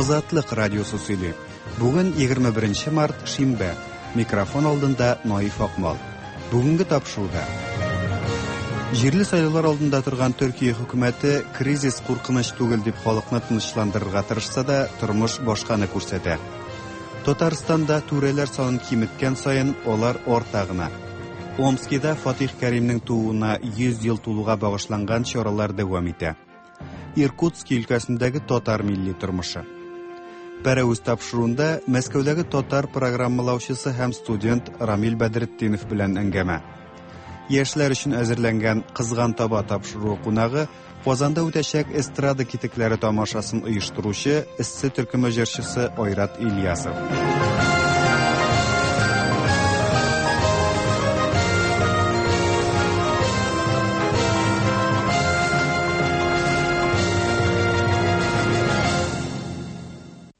Азатлык радиосы сөйли. Бүген 21 март, шимбә. Микрофон алдында Наиф Акмал. Бүгенге тапшыруда Җирле сайлаулар алдында торган Төркия хөкүмәте кризис куркыныч түгел дип халыкны тынычландырырга тырышса да, тормыш башканы күрсәтә. Татарстанда түрәләр санын киметкән саен алар арта гына. Омскида Фатих Кәримнең тууына 100 ел тулуга багышланган чаралар дәвам итә. Иркутски өлкәсендәге татар милли тормышы. Пәрәвез тапшыруында Мәскәүдәге татар программалаучысы һәм студент Рамил Бәдретдинов белән әңгәмә. Яшьләр өчен әзерләнгән Кызган таба тапшыруы кунагы Казанда үтәчәк эстрада китекләре тамашасын оештыручы Эссе төркеме җырчысы Айрат Ильясов.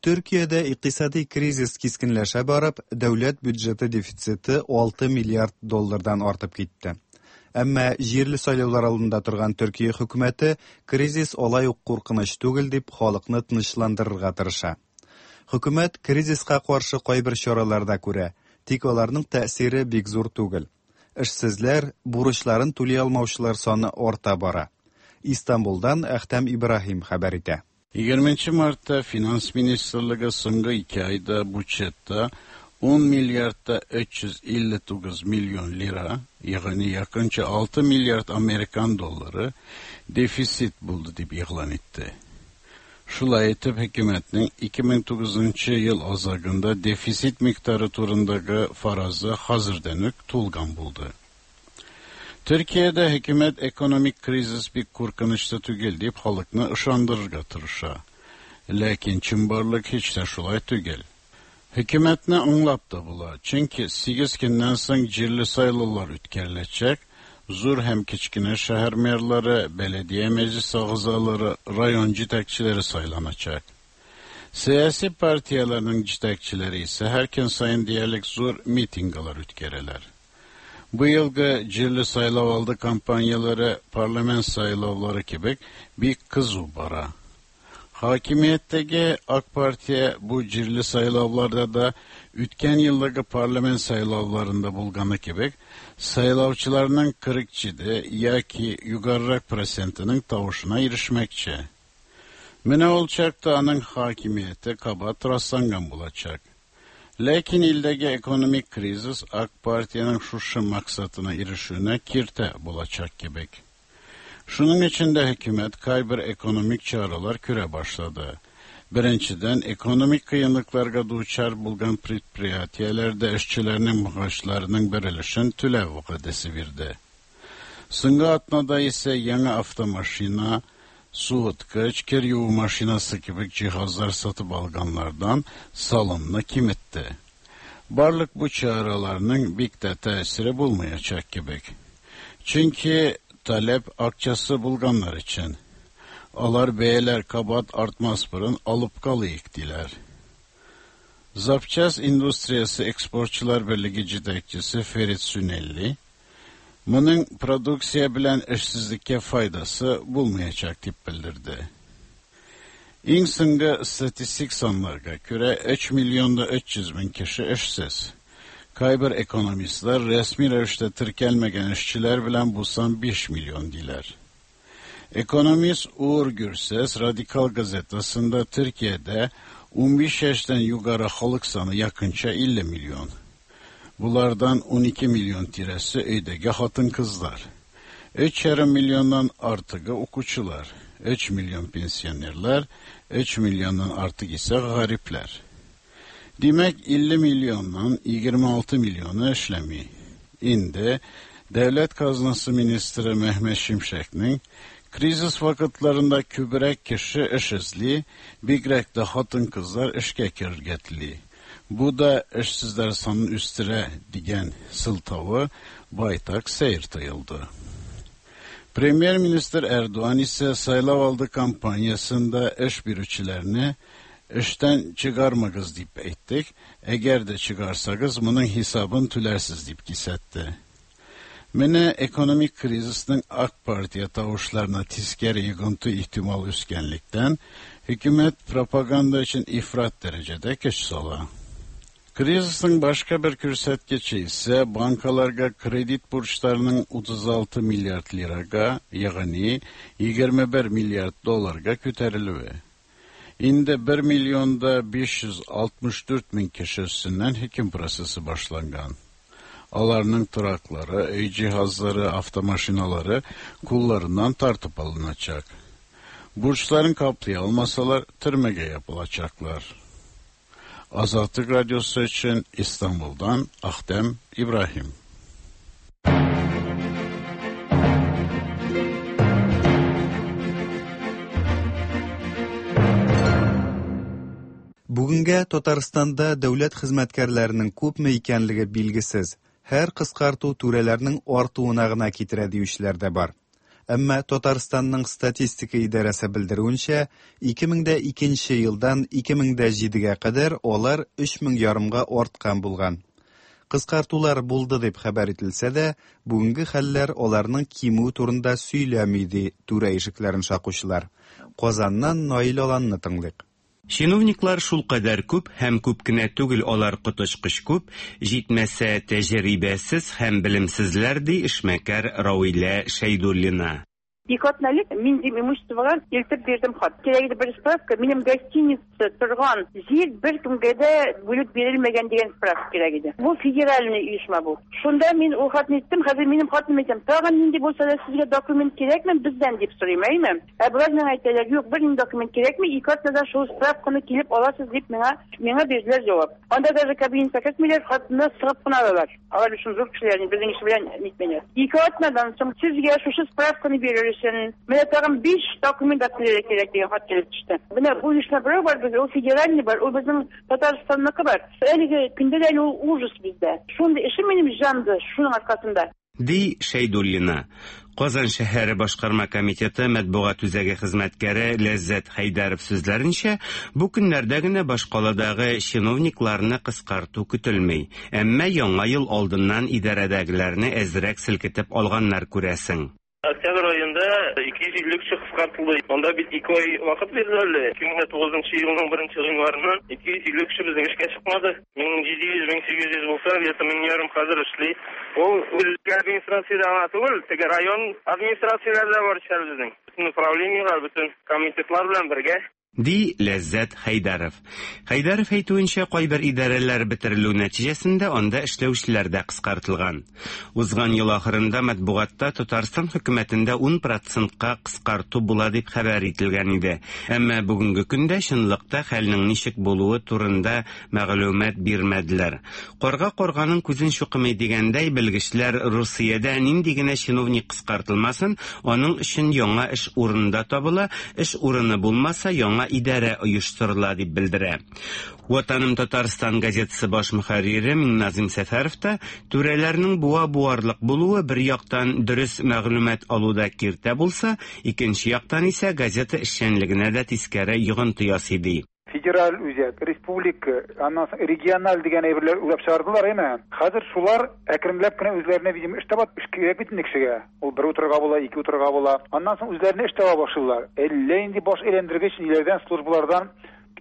Төркиядә икътисади кризис кискенләшә барып, дәүләт бюджеты дефициты 6 миллиард доллардан артып китте. Әмма җирле сайлаулар алдында торган Төркия хөкүмәте кризис алай ук куркыныч түгел дип халыкны тынычландырырга тырыша. Хөкүмәт кризиска каршы кайбер чаралар да күрә, тик аларның тәэсире бик зур түгел. Эшсезләр, бурычларын түли алмаучылар саны арта бара. Истанбулдан Әхтәм Ибраһим хәбәр итә. 20 мартта Финанс министрлыгы соңгы ике айда бюджетта 10 миллиардта 359 миллион лира, ягъни якынча 6 миллиард американ доллары дефицит булды дип игълан итте. Шулай итеп, хөкүмәтнең 2009 ел азагында дефицит микъдары турындагы фаразы хәзердән үк тулган булды. Төркиядә хөкүмәт экономик кризис бик куркынычлы түгел дип халыкны ышандырырга тырыша. Ләкин чынбарлык һич тә шулай түгел. Хөкүмәтне аңлап та була, чөнки 8 көннән соң җирле сайлаулар үткәреләчәк, зур һәм кечкенә шәһәр мэрлары, беледия мәҗлис әгъзалары, район җитәкчеләре сайланачак. Сәяси партияләрнең җитәкчеләре исә һәр көн саен диярлек зур митинглар үткәрәләр. Бу елгы җирле сайлау алды кампанияләре парламент сайлаулары кебек бик кызу бара. Хакимияттәге AK Партия бу җирле сайлауларда да үткән елдагы парламент сайлауларында булганы кебек сайлаучыларның 47 яки югарырак процентының тавышына ирешмәкче. Менә ул чакта аның хакимияте кабат расланган булачак. Ләкин илдәге экономик кризис AK Партиянең шушы максатына ирешүенә киртә булачак кебек. Шуның өчен дә хөкүмәт кайбер экономик чаралар күрә башлады. Беренчедән, экономик кыенлыкларга дучар булган предприятиеләрдә эшчеләрнең мәгашларының бер өлешен түләү вәгъдәсе бирде. Соңгы атнада исә яңа автомашина, суыткыч, кер юу машинасы кебек җиһазлар сатып алганнардан салымны киметте. Барлык бу чараларның бик тә тәэсире булмаячак кебек. Чөнки таләп акчасы булганнар өчен. Алар бәяләр кабат артмас борын алып калыйк диләр. Запчас индустриясе экспортчылар берлеге җитәкчесе Ферит Сünелли моның продукция белән эшсезлеккә файдасы булмаячак дип белдерде. Иң соңгы статистик саннарга күрә 3 миллионда 300 мең кеше эшсез. Кайбер экономистлар рәсми рәвештә теркәлмәгән эшчеләр белән бу сан 5 миллион диләр. Ekonomist Uğur Gürses Radikal gazetasında Türkiye'de 15 yaştan yukarı halk sanı yakınça 50 milyon. Bulardan 12 milyon tiresi öydeki hatın kızlar. 3,5 milyondan artığı okuyucular, 3 milyon pensionerler, 3 milyondan artık ise garipler. Demek 50 milyondan 26 milyonu işlemi. Indi Devlet Kaznası Ministri Mehmet Şimşek'nin krizis vakitlerinde kübrek kişi iş izli, bigrek de hatın kızlar işke kirgetli. Bu da işsizler sanın üstüne digen sıltavı baytak seyir tayıldı. Premier Minister Erdoğan ise saylav aldı kampanyasında iş bürüçilerini işten çıkarmagız deyip ettik. Eğer de çıkarsanız bunun hesabını tülersiz deyip kisetti. Менә экономик кризисның AK Partiya тавышларына тискәре йогынты ихтимал үскәнлектән, хөкүмәт пропаганда өчен ифрат дәрәҗәдә көч сала. Кризисның башка бер күрсәткече исә банкаларга кредит бурычларының 36 миллиард лирага, ягъни 21 миллиард долларга күтәрелүе. Инде 1 миллионда 564 мең кеше өстеннән хөкем процессы башланган. Аларның тораклары, өй җиһазлары, автомашиналары кулларыннан тартып алыначак. Бурçların каплый алмасалар, төрмәгә ябылачаклар. Азатлык Радиосы өчен Истанбулдан Ахтем Ибраһим. Бүгенгә Татарстанда дәүләт хезмәткәрләренең күпме икәнлеге билгесез. Һәр кыскарту түрәләрнең артуына гына китерә диючеләр дә бар. Әмма Татарстанның статистика идарәсе белдерүенчә, 2002 елдан 2007-гә кадәр алар 3 мең ярымга арткан булган. Кыскартулар булды дип хәбәр ителсә дә, бүгенге хәлләр аларның кимүе турында сөйләми, ди түрә ишекләрен шакучылар. Казаннан Наил Аланны тыңлыйк. Чиновниклар шулкадәр күп һәм күп кенә түгел, алар коточкыч күп, җитмәсә тәҗрибәсез һәм белемсезләр, ди эшмәкәр Равилә Шәйдуллина. Ике атна элек мин дим имуществога илтеп бирдем хат. Кирәк иде бер справка, минем гостиница торган җир беркемгә дә бүлеп бирелмәгән дигән справка кирәк иде. Бу федеральный оешма бу. Шунда мин ул хатны иттем, хәзер минем хатыным әйтәм, тагын нинди булса да сезгә документ кирәкме бездән дип сорыйм, әйме? Ә болар миңа әйтәләр, юк, бер нинди документ кирәкми, ике атнада шул справканы килеп аласыз дип миңа бирделәр җавап. Анда даже кабинетка кертмиләр, хатны сыгып кына алалар. Алар өчен зур кешеләр, безнең эш белән нитмиләр. Ике атнадан соң сезгә шушы справканы бирер өчен менә тагын биш документ алып килергә кирәк дигән хат килеп төште. Менә бу оешма берәү бар бездә, ул федеральный бар, ул безнең Татарстанныкы бар. Әлеге көндә дә әле ул ужас бездә. Шундый эшем минем җанды шуның аркасында. Ди Шәйдуллина. Казан шәһәре башкарма комитеты матбугат үзәге хезмәткәре Ләззәт Хәйдәров сүзләренчә, бу көннәрдә генә башкаладагы чиновникларны кыскарту көтелми. Әмма яңа ел алдыннан идарәдәгеләрне әзрәк селкетеп алганнар, күрәсең. Октябрь аенда 250 кеше кыскартылды. Анда бит 2 ай вакыт бирделәр әле. 2009 елның 1 гыйнварыннан 250 кеше безнең эшкә чыкмады. 1700, 1800 булса, где-то 1500 хәзер эшли. Ул үзәк администрациядә гына түгел, теге район администрацияләрдә бар эшләр безнең. Бөтен управлениеләр, бөтен комитетлар белән бергә. Ди Ләззәт Хәйдәров. Хәйдәров әйтүенчә, кайбер идарәләр бетерелү нәтиҗәсендә анда эшләүчеләр дә кыскартылган. Узган ел ахырында матбугатта Татарстан хөкүмәтендә 10 процентка кыскарту була дип хәбәр ителгән иде. Әмма бүгенге көндә чынлыкта хәлнең ничек булуы турында мәгълүмат бирмәделәр. Карга карганың күзен чукымый дигәндәй, белгечләр Русиядә нинди генә чиновник кыскартылмасын, аның өчен яңа эш урыны да табыла, эш урыны булмаса, яңа идарә оештырыла дип белдерә. Ватаным Татарстан газетасы баш мөхәррире Миңназим Сәфәров та түрәләрнең буа буарлык булуы бер яктан дөрес мәгълүмат алуда киртә булса, икенче яктан исә газета эшчәнлегенә дә тискәре йогынты ясый ди. Федераль үзәк, республика, аннан соң региональ дигән әйберләр уйлап чыгардылар, әйме? Хәзер шулар әкренләп кенә үзләренә, видимо, эш таба, эш кирәк бит инде кешегә. Ул бер утырырга була, ике утырырга була. Аннан соң үзләренә эш таба башлыйлар. Әллә инде баш әйләндергеч ниләрдән, службалардан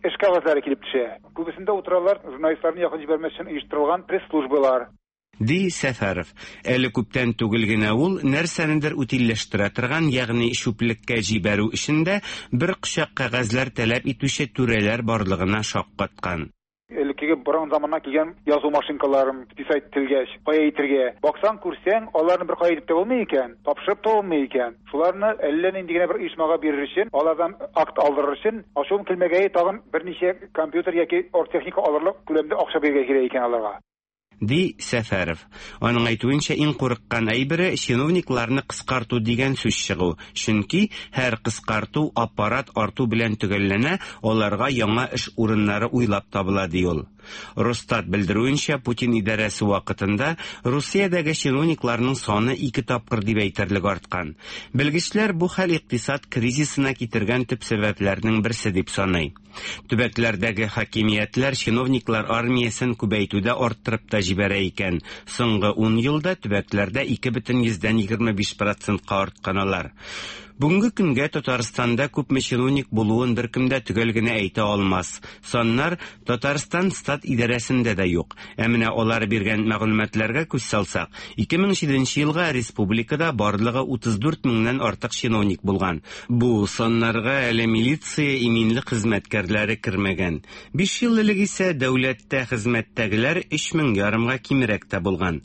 эш кәгазьләре килеп төшә. Күбесендә утыралар журналистларны якын җибәрмәс өчен оештырылган пресс-службалар. Ди Сәфәров. Әле күптән түгел генә ул нәрсәнедер утильләштерә торган, ягъни чүплеккә җибәрү өчен дә бер кочак кәгазьләр таләп итүче түрәләр барлыгына шаккаткан. Элеккеге борын заманнан килгән язу машинкаларын писать ителгәч, кая итергә. Баксаң, күрсәң, аларны бер кая итеп тә булмый икән, тапшырып та булмый икән. Шуларны әллә нинди генә бер оешмага бирер өчен, алардан акт алдырыр өчен, ачуым килмәгәе тагын берничә компьютер яки оргтехника алырлык күләмдә акча бирергә кирәк икән аларга. Ди Сәфәров. Аның әйтүенчә, иң курыккан әйбере чиновникларны кыскарту дигән сүз чыгу. Чөнки һәр кыскарту аппарат арту белән төгәлләнә, аларга яңа эш урыннары уйлап табыла, ди ул. Росстат белдерүенчә, Путин идарәсе вакытында Русиядәге чиновникларның саны ике тапкыр дип әйтерлек арткан. Белгечләр бу хәл икътисад кризисына китергән төп сәбәпләрнең берсе дип саный. Төбәкләрдәге хакимиятләр чиновниклар армиясен күбәйтүдә арттырып та җибәрә икән. Соңгы 10 елда төбәкләрдә 2,25 процентка арткан алар. Бүгенге көнгә Татарстанда күпме чиновник булуын беркем дә төгәл генә әйтә алмас. Саннар Татарстан стат идарәсендә дә юк. Ә менә алар биргән мәгълүматларга күз салсак, 2007 елга республикада барлыгы 34 меңнән артык чиновник булган. Бу саннарга әле милиция, иминлек хезмәткәрләре кермәгән. 5 ел элек исә дәүләттә хезмәттәгеләр 3 мең ярымга кимрәк тә булган.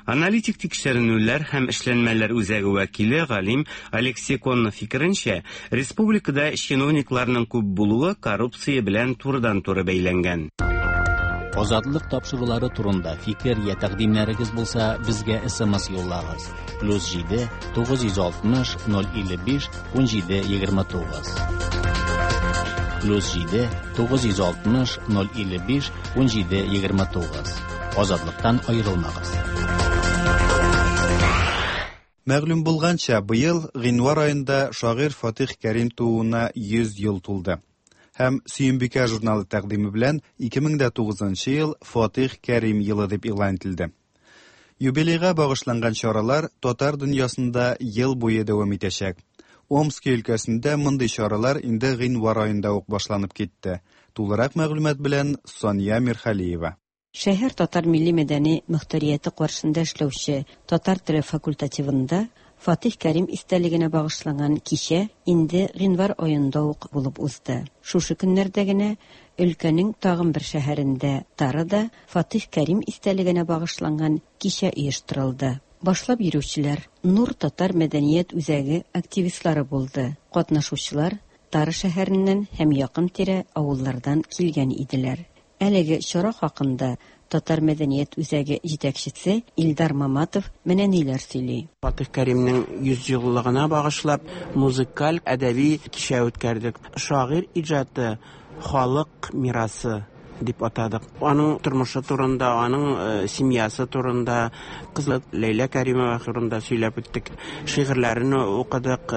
Аналитик тикшеренүләр һәм эшләнмәләр үзәге вәкиле галим Алексей Коннов фикеренчә, республикада чиновникларның күп булуы коррупция белән турыдан-туры бәйләнгән. Азатлык тапшырулары турында фикер я тәкъдимнәрегез булса, безгә SMS юллагыз. +7 960 055 17 29. +7 960 055 17 29. Азатлыктан аерылмагыз. Мәгълүм булганча, быел гыйнвар аенда шагыйрь Фатих Кәрим тууына 100 ел тулды. Һәм Сөембикә журналы тәкъдиме белән 2009 ел Фатих Кәрим елы дип игълан ителде. Юбилейга багышланган чаралар татар дөньясында ел буе дәвам итәчәк. Омски өлкәсендә мондый чаралар инде гыйнвар аенда ук башланып китте. Тулырак мәгълүмат белән Сания Мирхалиева. Шәһәр татар милли мәдәни мөхтәрияте каршында эшләүче татар теле факультативында Фатих Кәрим истәлегенә багышланган кичә инде гыйнвар аенда ук булып узды. Шушы көннәрдә генә өлкәнең тагын бер шәһәрендә Тарада Фатих Кәрим истәлегенә багышланган кичә оештырылды. Башлап йөрүчеләр Нур татар мәдәният үзәге активистлары булды. Катнашучылар Тары шәһәреннән һәм якын-тирә авыллардан килгән иделәр. Әлеге чара хакында Татар мәдәният үзәге җитәкчесе Илдар Маматов менә ниләр сөйли. Фатих Кәримнең 100 еллыгына багышлап музыкаль әдәби кичә үткәрдек. Шагыйрь иҗаты халык мирасы дип атадык. Аның тормышы турында, аның семьясы турында, кызы Ләйлә Кәримова турында сөйләп үттек. Шигырьләрен укыдык,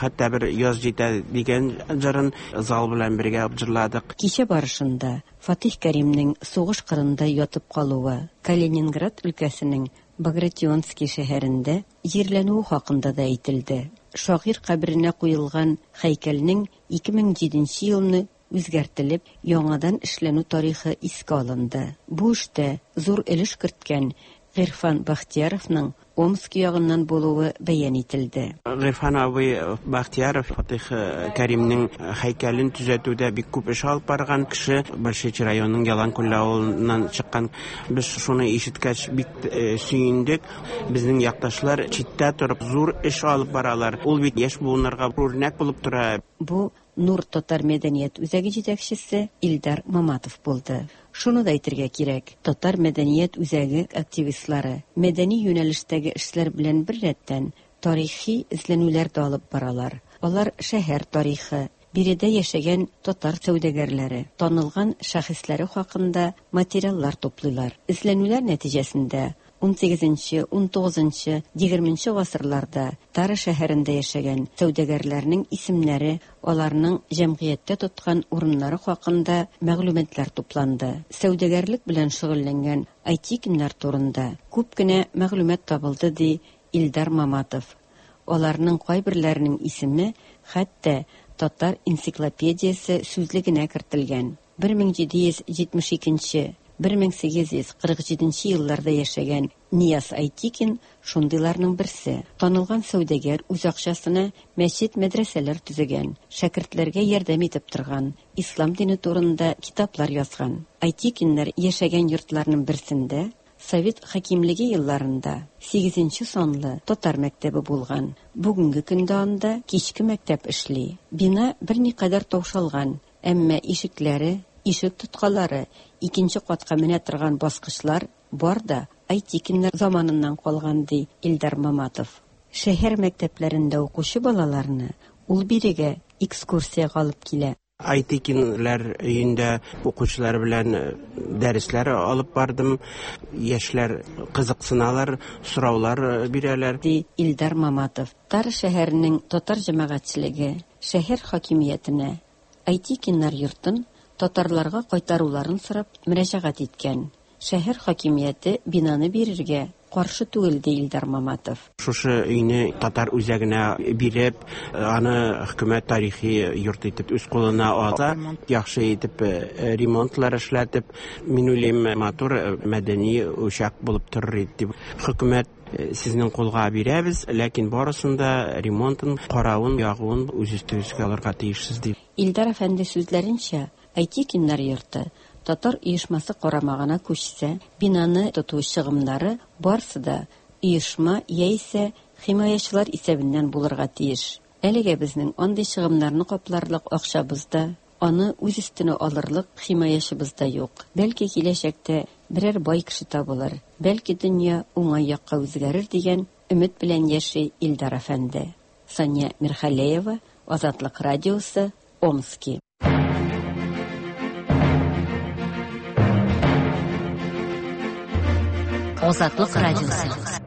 хәтта бер яз җитә дигән җырын зал белән бергә җырладык. Кичә барышында Фатих Кәримнең сугыш кырында ятып калуы, Калининград өлкәсенең Багратионский шәһәрендә җирләнүе хакында да әйтелде. Шагыйрь каберенә куелган һәйкәлнең 2007 елны үзгәртелеп, яңадан эшләнү тарихы искә алынды. Бу эштә зур өлеш керткән Гыйрфан Бахтияровның Омск ягыннан булуы бәян ителде. Гыйрфан абый Бахтияров Фатих Кәримнең һәйкәлен төзәтүдә бик күп эш алып барган кеше, Большечи районының Яланкүл авылыннан чыккан. Без шуны ишеткәч бик сөендек. Безнең якташлар читтә торып зур эш алып баралар. Ул бит яшь буыннарга үрнәк булып тора. Бу Нур татар мәдәният үзәге җитәкчесе Илдар Маматов булды. Шуны да әйтергә кирәк, татар мәдәният үзәге активистлары мәдәни юнәлештәге эшләр белән беррәттән тарихи эзләнүләр дә алып баралар. Алар шәһәр тарихы, биредә яшәгән татар сәүдәгәрләре, танылган шәхесләре хакында материаллар туплыйлар. Эзләнүләр нәтиҗәсендә 18-нче, 19-нчы, 20-нче гасырларда Тара шәһәрендә яшәгән сәүдәгәрләрнең исемнәре, аларның җәмгыятьтә тоткан урыннары хакында мәгълүматлар тупланды. Сәүдәгәрлек белән шөгыльләнгән Айтикиннар турында күп кенә мәгълүмат табылды, ди Илдар Маматов. Аларның кайберләренең исеме хәтта Татар энциклопедиясе сүзлегенә кертелгән. 1772 1847 елларда яшәгән Нияз Айтикин шундыйларның берсе. Танылган сәүдәгәр үз акчасына мәчет, мәдрәсәләр төзегән, шәкертләргә ярдәм итеп торган, ислам дине турында китаплар язган. Айтикиннар яшәгән йортларның берсендә Совет хакимлеге елларында 8 санлы татар мәктәбе булган. Бүгенге көндә анда кичке мәктәп эшли. Бина берникадәр таушалган, әмма ишекләре, ишек тоткалары, икенче катка менә торган баскычлар бар да Айтикиннар заманыннан калган, ди Илдар Маматов. Шәһәр мәктәпләрендә укучы балаларны ул бирегә экскурсиягә алып килә. Айтекинлар өендә укучылар белән дәресләр алып бардым. Яшьләр кызыксыналар, сораулар бирәләр. Ди Илдар Маматов. Тара шәһәренең татар җәмәгатьчелеге шәһәр хакимиятенә Айтекиннар йортын татарларга кайтаруларын сорап мөрәҗәгать иткән. Шәһәр хакимияте бинаны бирергә каршы түгел, ди Илдар Маматов. Шушы өйне татар үзәгенә биреп, аны хөкүмәт тарихи йорт итеп үз кулына алса, яхшы итеп ремонтлар эшләтеп, мин уйлыйм, матур мәдәни учак булып торыр иде дип. Хөкүмәт сезнең кулга бирәбез, ләкин барысын да ремонтын, каравын, ягуын үз өстегезгә алырга тиешсез дип. Илдар әфәнде сүзләренчә, Айтекиннар йорты татар оешмасы карамагына күчсә, бинаны тоту чыгымнары барсы да оешма яисә химаячылар исәбеннән булырга тиеш. Әлегә безнең андый чыгымнарны капларлык акчабыз да, аны үз өстенә алырлык химаячыбыз да юк. Бәлки киләчәктә берәр бай кеше табылыр, бәлки дөнья уңай якка үзгәрер дигән өмет белән яши Илдар әфәнде. Сания Мирхалеева, Азатлык радиосы, Омски. Азатлык радиосы.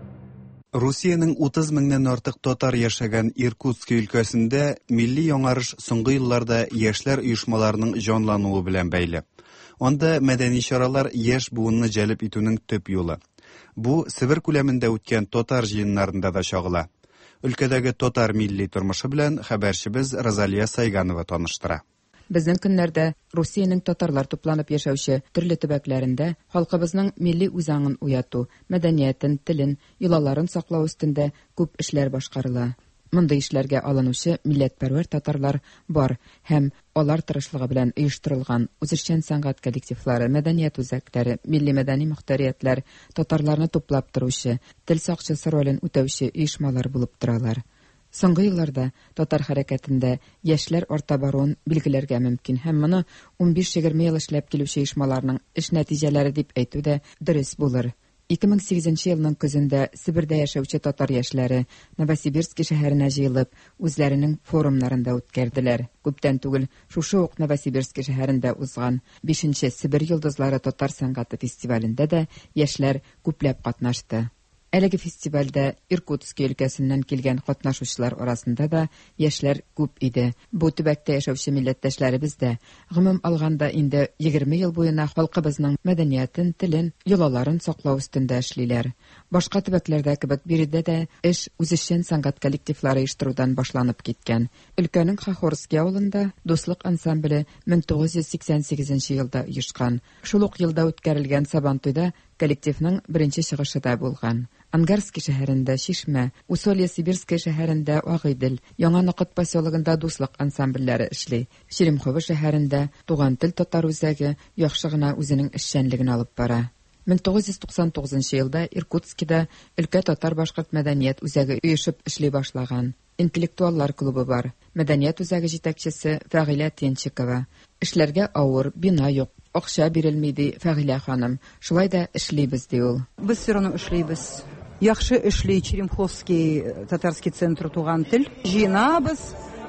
Русиянең 30 меңнән артык татар яшәгән Иркутски өлкәсендә милли яңарыш соңгы елларда яшьләр оешмаларының җанлануы белән бәйле. Анда мәдәни чаралар яшь буынны җәлеп итүнең төп юлы. Бу Себер күләмендә үткән татар җыеннарында да чагыла. Өлкәдәге татар милли тормышы белән хәбәрчебез Розалия Сайганова таныштыра. Безнең көннәрдә Русиянең татарлар тупланып яшәүче төрле төбәкләрендә халкыбызның милли үзаңын уяту, мәдәниятен, телен, йолаларын саклау өстендә күп эшләр башкарыла. Мондый эшләргә алынучы милләтпәрвәр татарлар бар һәм алар тырышлыгы белән оештырылган үзешчән сәнгать коллективлары, мәдәният үзәкләре, милли мәдәни мохтариятләр татарларны туплап торучы, тел сакчысы ролен үтәүче оешмалар булып торалар. Соңгы елларда татар хәрәкәтендә яшьләр арта баруын билгеләргә мөмкин һәм моны 15-20 ел эшләп килүче оешмаларның эш нәтиҗәләре дип әйтү дә дөрес булыр. 2008 елның көзендә Себердә яшәүче татар яшьләре Новосибирски шәһәренә җыелып, үзләренең форумнарын да үткәрделәр. Күптән түгел шушы ук Новосибирски шәһәрендә узган 5нче Себер йолдызлары татар сәнгате фестивалендә дә яшьләр күпләп катнашты. Әлеге фестивальдә Иркутски өлкәсеннән килгән катнашучылар арасында да яшьләр күп иде. Бу төбәктә яшәүче милләттәшләребез дә, гомум алганда, инде 20 ел буена халкыбызның мәдәниятен, телен, йолаларын саклау өстендә эшлиләр. Башка төбәкләрдә кебек биредә дә эш үзешчән сәнгать коллективлары оештырудан башланып киткән. Өлкәнең Хохорский авылында Дуслык ансамбле 1988 елда оешкан. Шул ук елда үткәрелгән Сабантуйда коллективның беренче чыгышы да булган. Ангарский шәһәрендә Чишмә, Усолье-Сибирское шәһәрендә Агыйдел, Яңа Нокыт поселогында Дуслык ансамбльләре эшли. Черемхово шәһәрендә Туган тел татар үзәге яхшы гына үзенең эшчәнлеген алып бара. 1999 елда Иркутскида өлкә татар-башкорт мәдәният үзәге оешып эшли башлаган. Интеллектуаллар клубы бар. Мәдәният үзәге җитәкчесе Фәгыйлә Тенчикова. Эшләргә авыр, бина юк, акча бирелми, ди Фәгыйлә ханым. Шулай да эшлибез, ди ул. Без все равно эшлибез. Яхшы эшли Черемховский татарский центр Туган тел. Җыенабыз,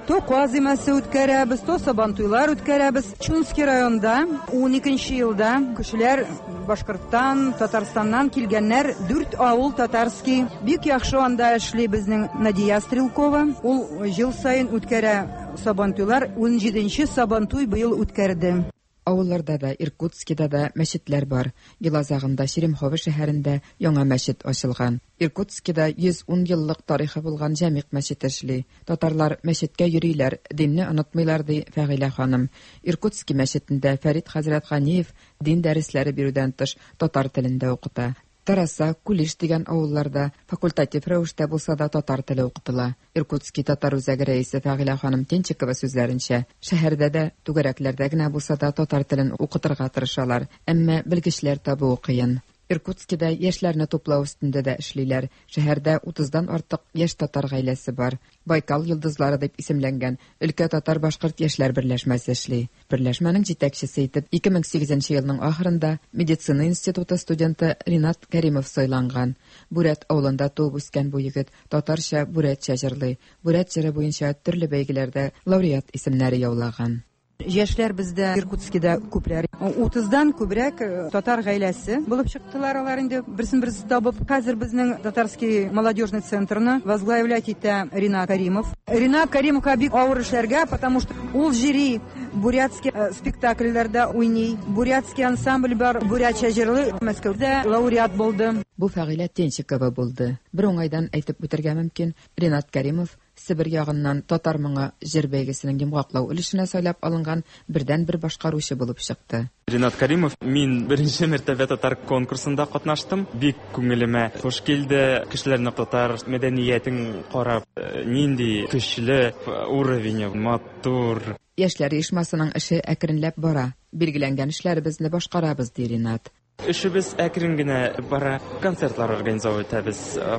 то каз өмәсе үткәрәбез, то сабантуйлар үткәрәбез. Чунский районда 12 елда кешеләр Башкорттан, Татарстаннан килгәннәр, дүрт авыл татарский. Бик яхшы анда эшли безнең Надия Стрелкова. Ул ел саен үткәрә сабантуйлар. 17нче сабантуй быел үткәрде. Авылларда да, Иркутскида да мәчетләр бар. Ел азагында Черемхово шәһәрендә яңа мәчет ачылган. Иркутскида 110 еллык тарихы булган Җәмигъ мәчете эшли. Татарлар мәчеткә йөриләр, динне онытмыйлар, ди Фәгыйлә ханым. Иркутски мәчетендә Фәрит хәзрәт Ганиев дин дәресләре бирүдән тыш татар телен дә укыта. Тараса, Кулиш дигән авылларда факультатив рәвештә булса да татар теле укытыла. Иркутски татар үзәге рәисе Фәгыйлә ханым Тенчикова сүзләренчә, шәһәрдә дә түгәрәкләрдә генә булса да татар телен укытырга тырышалар, әмма белгечләр табуы кыен. Иркутскида яшьләрне туплау өстендә дә эшлиләр. Шәһәрдә 30-дан артык яшь татар гаиләсе бар. Байкал йолдызлары дип исемләнгән өлкә татар-башкорт яшьләр берләшмәсе эшли. Берләшмәнең җитәкчесе итеп 2008 елның ахырында медицина институты студенты Ринат Кәримов сайланган. Бүрәт авылында туып үскән бу егет татарча, бүрәтчә җырлый. Бүрәт җыры буенча төрле бәйгеләрдә лауреат исемнәре яулаган. Яшьләр бездә Иркутскида күпләр. 30-дан күбрәк татар гаиләсе булып чыктылар алар инде берсен берсе табып. Хәзер безнең Татарский молодежный центрны возглавлять итә Ринат Каримов. Ринат Каримовка бик авыр эшләргә, потому что ул җыри бурятский спектакльләрдә уйный. Бурятский ансамбль бар, бурятча җырлый. Мәскәүдә лауреат булды. Бу Фәгыйлә Тенчикова булды. Бер уңайдан әйтеп үтәргә мөмкин, Ринат Кәримов Себер ягыннан Татар моңы җыр бәйгесенең йомгаклау өлешенә сайлап алынган бердәнбер башкаручы булып чыкты. Ринат Каримов, мин беренче мәртәбә татар конкурсында катнаштым. Бик күңелемә хуш килде. Кешеләрне татар мәдәниятен карап, нинди көчле уровень, матур. Яшьләр оешмасының эше әкренләп бара. Билгеләнгән эшләребезне башкарабыз, ди Ринат. Эшебез әкрен генә бара. Концертлар организовывать итәбез,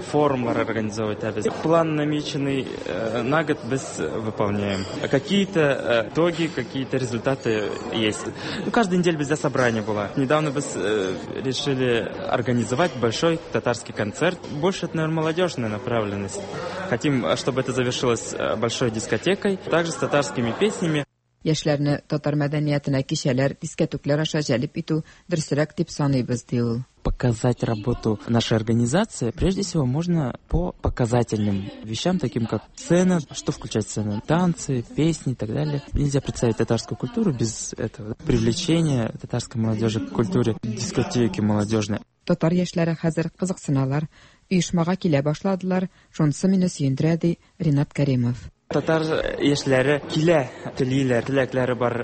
форумлар организовывать итәбез. План намеченный на год без выполняем. Какие-то итоги, какие-то результаты есть. Ну, каждую неделю бездә собрание было. Недавно без решили организовать большой татарский концерт. Больше это, наверное, молодежная направленность. Хотим, чтобы это завершилось большой дискотекой, также с татарскими песнями. Яшьләрне татар мәдәниятенә кичәләр, дискәтүкләр аша җәлеп итү дөресрәк дип саныйбыз, ди ул. Показать работу нашей организации, прежде всего, можно по показательным вещам, таким как сцена, что включать сцену, танцы, песни и так далее. Нельзя представить татарскую культуру без этого. Привлечения татарской молодежи к культуре, дискотеки молодежные. Татар яшьләре хәзер кызыксыналар, оешмага килә башладылар, шунысы мине сөендерә, ди Ринат Кәримов. Татар яшьләре килә, телиләр, теләкләре бар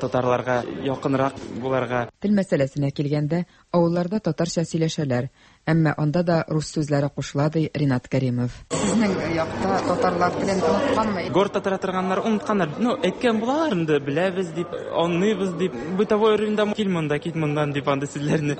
татарларга якынрак буларга. Тел мәсьәләсенә килгәндә, авылларда татарча сөйләшәләр, әмма анда да рус сүзләре кушыла, ди Ринат Кәримов. Сезнең якта татарлар телен онытканмы? Гор татара торганнар онытканнар. Ну, әйткән булалар инде, беләбез дип, аңлыйбыз дип. Бытовой уровеньда кил монда, кит моннан дип андый сүзләрне.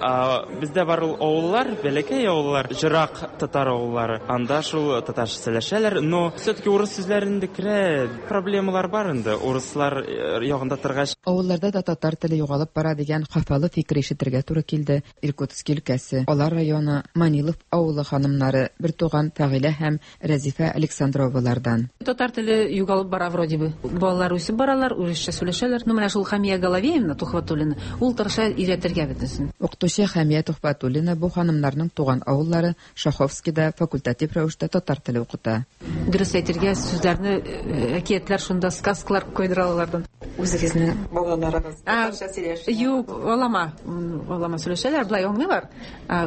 Бездә бар ул авыллар, бәләкәй авыллар, җырак татар авыллары. Анда шул татарча сөйләшәләр, но все-таки урыс сүзләрен дә керә. Проблемалар бар инде, урыслар ягында торгач. Авылларда да татар теле югалып бара дигән хафалы фикер ишетергә туры килде. Иркутски өлкәсе, Алар районы, Манилов авылы ханымнары, бертуган Фәгыйлә һәм Рәзифә Александровалардан. Татар теле югалып бара вроде бы. Балалар үсеп баралар, урысча сөйләшәләр. Ну, менә шул Хамия Головеевна Тухватуллина, ул тырыша өйрәтергә бөтенесен. Укытучы Хамия Тухватуллина бу ханымнарның туган авыллары Шаховскида факультатив рәвештә татар теле укыта. Дөрес әйтергә сүзләрне, әкиятләр шунда, сказкалар куйдыра алардан. Үзегезнең балаларыгыз татарча сөйләшә? Юк, алама, алама сөйләшәләр, былай аңлыйлар.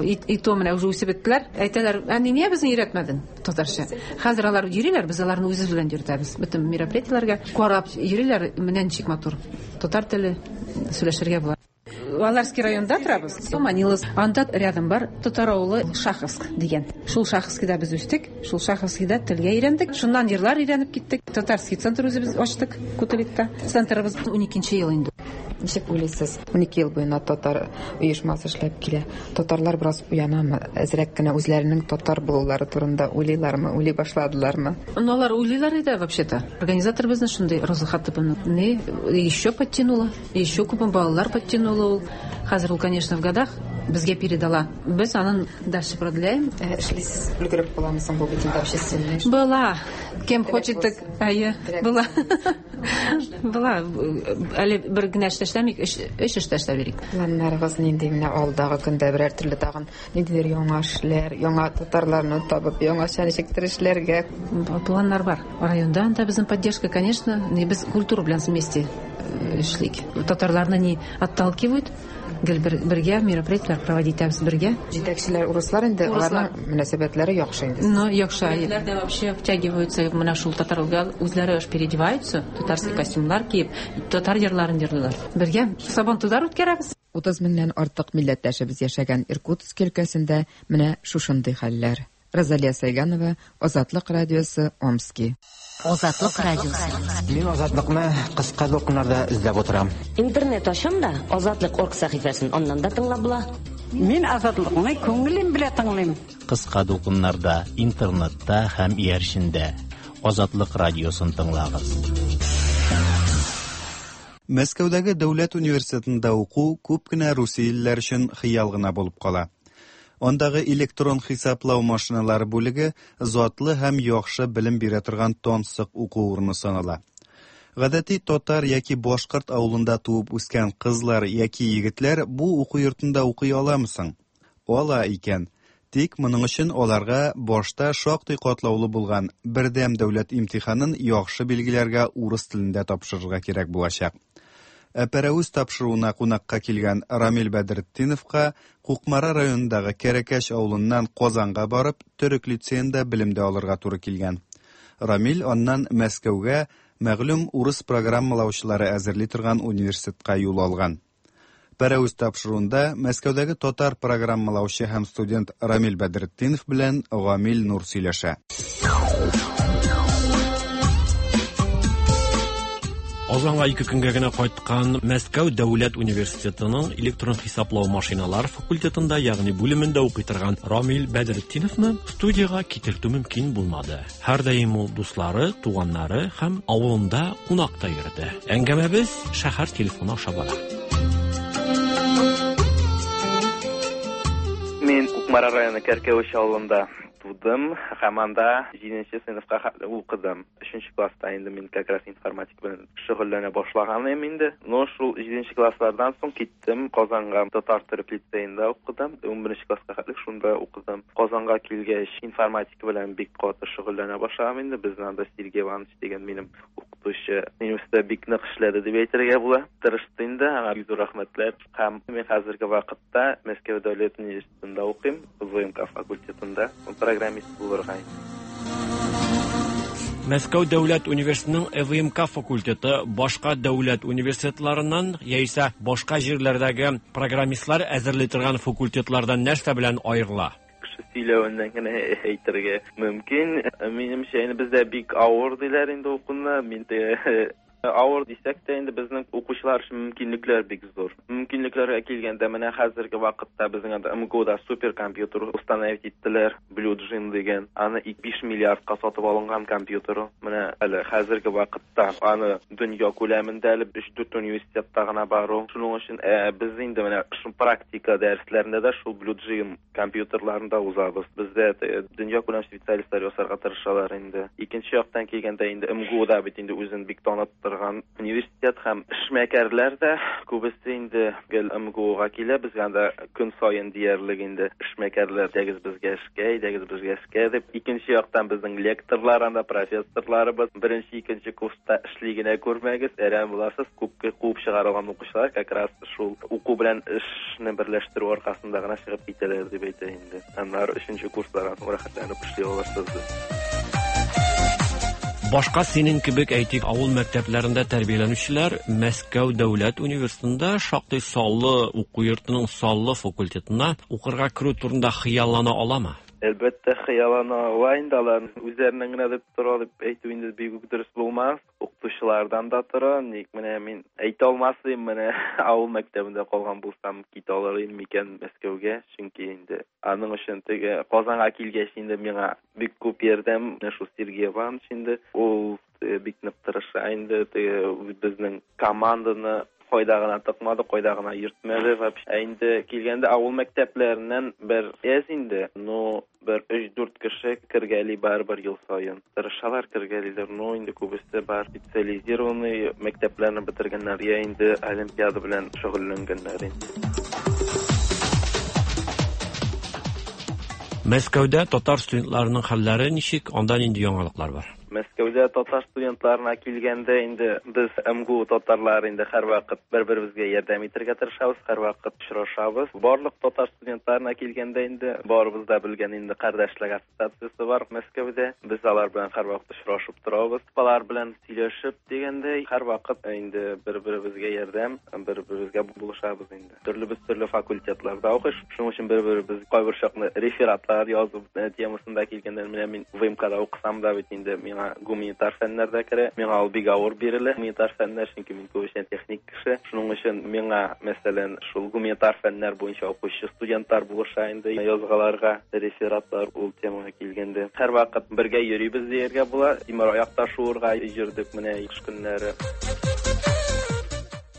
И то менә уже үсеп беттеләр. Әйтәләр, әни, нигә безне өйрәтмәдең татарча? Хәзер алар йөриләр, без аларны үзебез белән йөртәбез. Бөтен мероприятиеләргә карап йөриләр, менә ничек матур. Татар теле сөйләшергә була. Аларский районда торабыз. Манилов. Анда рядом бар татар авылы Шаховск дигән. Шул Шаховскида без үстек, шул Шаховскида телгә өйрәндек. Шуннан җырлар өйрәнеп киттек. Татарский центр үзебез ачтык Кутуликта. Центрыбыз 12 ел инде. Ничек уйлыйсыз? 12 ел буена татар оешмасы эшләп килә. Татарлар бераз уянамы? Әзрәк кенә үзләренең татар булулары турында уйлыйлармы, уйлый башладылармы? Ну, алар уйлыйлар иде вообще-то. Организатор безне шундый Роза Хатыповна не еще подтянула, еще күп балалар подтянула ул. Хәзер ул, конечно, в годах безгә передала. Без анын дальше продляем. Эшлисез, өлгереп буламы соң бу бит инде общественный эш? Была. Кем хочет, так әйе, была. Была. Әле бер генә эштә эшләмик, өч эштә эшләп йөрик. Планнарыгыз нинди? Менә алдагы көндә берәр төрле тагын ниндидер яңа эшләр, яңа татарларны табып, яңача ничектер эшләргә. Планнар бар. Районда анда безнең поддержка, конечно, без культура белән вместе эшлик. Татарларны не отталкивают. Гел бергә мероприятиеләр проводить итәбез бергә. Җитәкчеләр урыслар инде, аларның мөнәсәбәтләре яхшы инде. Ну, яхшы. Егетләр дә вообще втягиваются менә шул татарга, үзләре аж переодеваются, татарский костюмнар киеп, татар җырларын җырлыйлар. Бергә Сабантуйлар үткәрәбез. 30 меңнән артык милләттәшебез яшәгән Иркутск өлкәсендә менә шушындый хәлләр. Розалия Сайганова, Азатлык радиосы, Омски. Азатлык радиосы. Мин Азатлыкны кыска дулкыннарда эзләп утырам. Интернет ачам да, Азатлык орг сәхифәсен аннан да тыңлап була. Мин Азатлыкны күңелем белән тыңлыйм. Кыска дулкыннарда, интернетта һәм иярчендә Азатлык радиосын тыңлагыз. Мәскәүдәге дәүләт университетында уку күп кенә русиялеләр өчен хыял гына булып кала. Андагы электрон хисаплау машиналары бүлеге затлы һәм яхшы белем бирә торган тансык уку урыны санала. Гадәти татар яки башкорт авылында туып үскән кызлар яки егетләр бу уку йортында укый аламы соң? Ала икән. Тик моның өчен аларга башта шактый катлаулы булган бердәм дәүләт имтиханын яхшы билгеләргә урыс телендә тапшырырга кирәк булачак. Ә Пәрәвез тапшыруына кунакка килгән Рамил Бәдретдиновка Кукмара районындагы Кәрәкәш авылыннан Казанга барып, төрек лицеенда белем дә алырга туры килгән. Рамил аннан Мәскәүгә мәгълүм урыс программалаучылары әзерли торган университетка юл алган. Пәрәвез тапшыруында Мәскәүдәге татар программалаучы һәм студент Рамил Бәдретдинов белән Гамил Нур сөйләшә. Казанга ике көнгә генә кайткан Мәскәү дәүләт университетының электрон хисаплау машиналар факультетында, ягъни бүлемендә укый торган Рамил Бәдретдиновны студиягә китертү мөмкин булмады. Һәрдаим ул дуслары, туганнары һәм авылында кунакта йөрде. Әңгәмәбез шәһәр телефоны аша бара. Мин Кукмара районы Кәркәвеш авылында тудым һәм анда 7 сыйныфка хәтле укыдым. 3 класста инде мин как раз информатика белән шөгыльләнә башлаган идем инде. Но шул 7 класслардан соң киттем Казанга, татар төрек лицеенда укыдым. 11 класска хәтле шунда укыдым. Казанга килгәч, информатика белән бик каты шөгыльләнә башладым инде. Безнең анда Сергей Иванович дигән минем укытучы минем өстә бик нык эшләде дип әйтергә була. Тырышты инде, аңа бик зур рәхмәтләр. Һәм мин хәзерге вакытта Мәскәү дәүләт университетында укыйм, ВМК факультетында программист булырга. Мәскәү дәүләт университетының ЭВМК факультеты башка дәүләт университетларыннан яисә башка җирләрдәге программистлар әзерли торган факультетлардан нәрсә белән аерыла? Кеше сөйләвеннән генә әйтергә мөмкин. Минемчә, инде бездә бик авыр диләр инде укуны. Мин авыр дисәк тә инде безнең укучылар өчен мөмкинлекләр бик зур. Мөмкинлекләргә килгәндә, менә хәзерге вакытта безнең анда МГУда суперкомпьютер установить иттеләр, Blue Gene дигән. Аны 5 миллиардка сатып алынган компьютер. Менә әле хәзерге вакытта аны дөнья күләмендә әле 3-4 университетта гына бар ул. Шуның өчен без инде менә шул практика дәресләрендә дә шул Blue Gene компьютерларында узабыз. Бездә дөньякүләм специалистлар ясарга тырышалар инде. Икенче яктан килгәндә инде МГУда бит инде үзен бик таныттырган университет һәм эшмәкәрләр дә күбесе инде гел МГУга килә. Безгә анда көн саен диярлек инде эшмәкәрләр әйдәгез безгә эшкә, әйдәгез безгә эшкә дип. Икенче яктан безнең лекторлар анда, профессорларыбыз беренче, икенче курста эшли генә күрмәгез, әрәм буласыз. Күпкә куып чыгарылган укучылар как раз шул уку белән эшне берләштерү аркасында гына чыгып китәләр дип әйтә инде. Аннары өченче курслардан соң рәхәтләнеп эшли аласыз. Башка синең кебек, әйтик, авыл мәктәпләрендә тәрбияләнүчеләр Мәскәү дәүләт университетында шактый саллы уку йортының саллы факультетына укырга керү турында хыяллана аламы? Әлбәттә, хыяллана ала инде алар. Үзләреннән генә дип тора дип әйтү инде бик үк дөрес булмас. Укытучылардан да тора. Ник менә мин әйтә алмас идем, менә авыл мәктәбендә калган булсам, китә алыр идем микән Мәскәүгә? Чөнки инде аның өчен теге Казанга килгәч инде миңа бик күп ярдәм менә шул Сергей Иванович инде. Ул бик нык тырыша инде, теге безнең команданы кайда гына тыкмады, кайда гына йөртмәде вообще. Ә инде килгәндә авыл мәктәпләреннән бер әз инде, но бер өч-дүрт кеше кергәли барыбер ел саен. Тырышалар, кергәлиләр, но инде күбесе бар специализированный мәктәпләрне бетергәннәр, я инде олимпиада белән шөгыльләнгәннәр инде. Мәскәүдә татар студентларының хәлләре ничек, анда нинди яңалыклар бар? Мәскәүдә татар студентларына килгәндә инде без МГУ татарлары инде һәрвакыт бер-беребезгә ярдәм итәргә тырышабыз, һәрвакыт очрашабыз. Барлык татар студентларына килгәндә инде барыбыз да белгән инде кардәшлек ассоциациясе бар Мәскәүдә. Без алар белән һәрвакыт очрашып торабыз. Алар белән сөйләшеп дигәндәй, һәрвакыт инде бер-беребезгә ярдәм, бер-беребезгә булышабыз инде. Төрлебез төрле факультетларда укый, шуның өчен бер-беребез кайбер чакны рефератлар язу темасында килгәндә, менә мин ВМКда укысам да бит инде миңа гуманитар фәннәр дә керә. Миңа ул бик авыр бирелә, гуманитар фәннәр, чөнки мин күбесенчә техник кеше. Шуның өчен миңа, мәсәлән, шул гуманитар фәннәр буенча укучы студентлар булыша инде язгаларга, рефератлар ул темага килгәндә. Һәрвакыт бергә йөрибез дияргә була. Тимер аякта шуырга йөрдек менә кыш көннәре.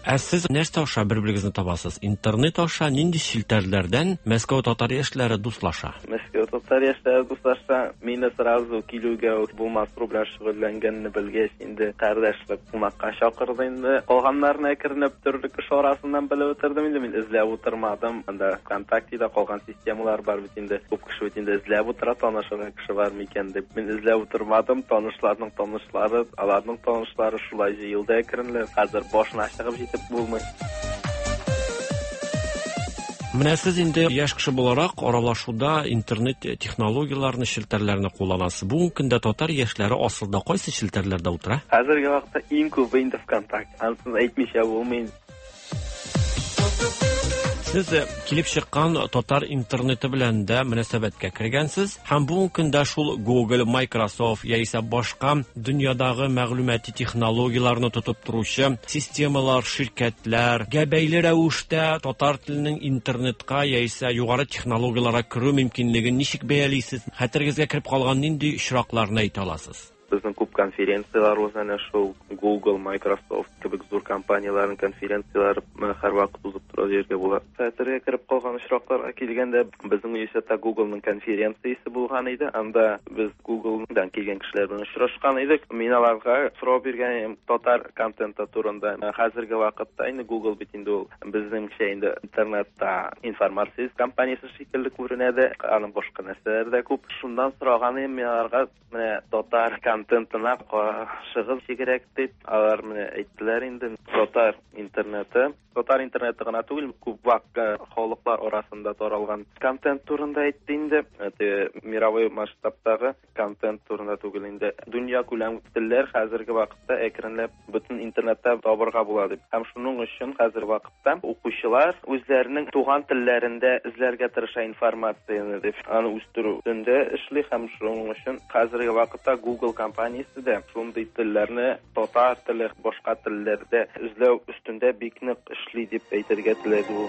Ә сез нәрсә аша бер-берегезне табасыз? Интернет аша нинди челтәрләрдән Мәскәү татар яшьләре дуслаша? Мәскәү Татар яшьләре дуслашса, мине сразу килүгә үк булмасру белән шөгыльләнгәнне белгәч, инде кардәшлек кунакка чакырды инде. Калганнарны әкренләп төрле кеше арасыннан белеп бетердем инде, мин эзләп утырмадым. Анда ВКонтактеда калган системалар бар бит инде. Күп кеше бит инде эзләп утыра, танышырга кеше бар микән дип. Мин эзләп утырмадым, танышларның танышлары, аларның танышлары шулай җыелды әкренләп. Хәзер башына чыгып җитеп булмый. Менә сез инде яшь кеше буларак аралашуда интернет технологияләрне, челтәрләрне кулланасыз. Бүгенге көндә татар яшьләре асылда кайсы челтәрләрдә утыра? Хәзерге вакытта иң күбе инде ВКонтакте. Анысын әйтмичә булмый. Сез э, килеп чыккан татар интернеты белән дә мөнәсәбәткә кергәнсез һәм бүгенге көндә шул Google, Microsoft яисә башка дөньядагы мәгълүмати технологияләрне тотып торучы системалар, ширкәтләргә бәйле рәвештә татар теленең интернетка яисә югары технологияләргә керү мөмкинлеген ничек бәялисез? Хәтерегезгә кереп калган нинди очракларны әйтә аласыз? Безнең күп конференцияләр уза, әнә шул Google, Microsoft кебек зур компанияләрнең конференцияләре һәрвакыт узып тора дияргә була. Хәтергә кереп калган очракларга килгәндә, безнең университетта Google-ның конференциясе булган иде. Анда без Google-дан килгән кешеләр белән очрашкан идек. Мин аларга сорау биргән идем татар контенты турында. Хәзерге вакытта инде Google бит инде ул безнеңчә инде интернетта информация компаниясе шикелле күренә дә, аның башка нәрсәләре дә күп. Шуннан сораган идем мин аларга, Менә татар контентына карашыгыз ничегрәк дип, алар менә әйттеләр инде, татар интернеты, татар интернеты гына түгел, күп вак э, халыклар арасында таралган контент турында әйтте инде. Теге мировой масштабтагы контент турында түгел инде. Дөнья күләм телләр хәзерге вакытта әкренләп бөтен интернетта табырга була дип. Һәм шуның өчен хәзер вакыт Та укучылар үзләренең туган телләрендә эзләргә тырыша информацияне дип, аны үстерү өстендә эшли һәм шуның өчен хәзерге вакытта Google компаниясе дә шундый телләрне, татар теле, башка телләрдә эзләү өстендә бик нык эшли дип әйтергә теләде ул.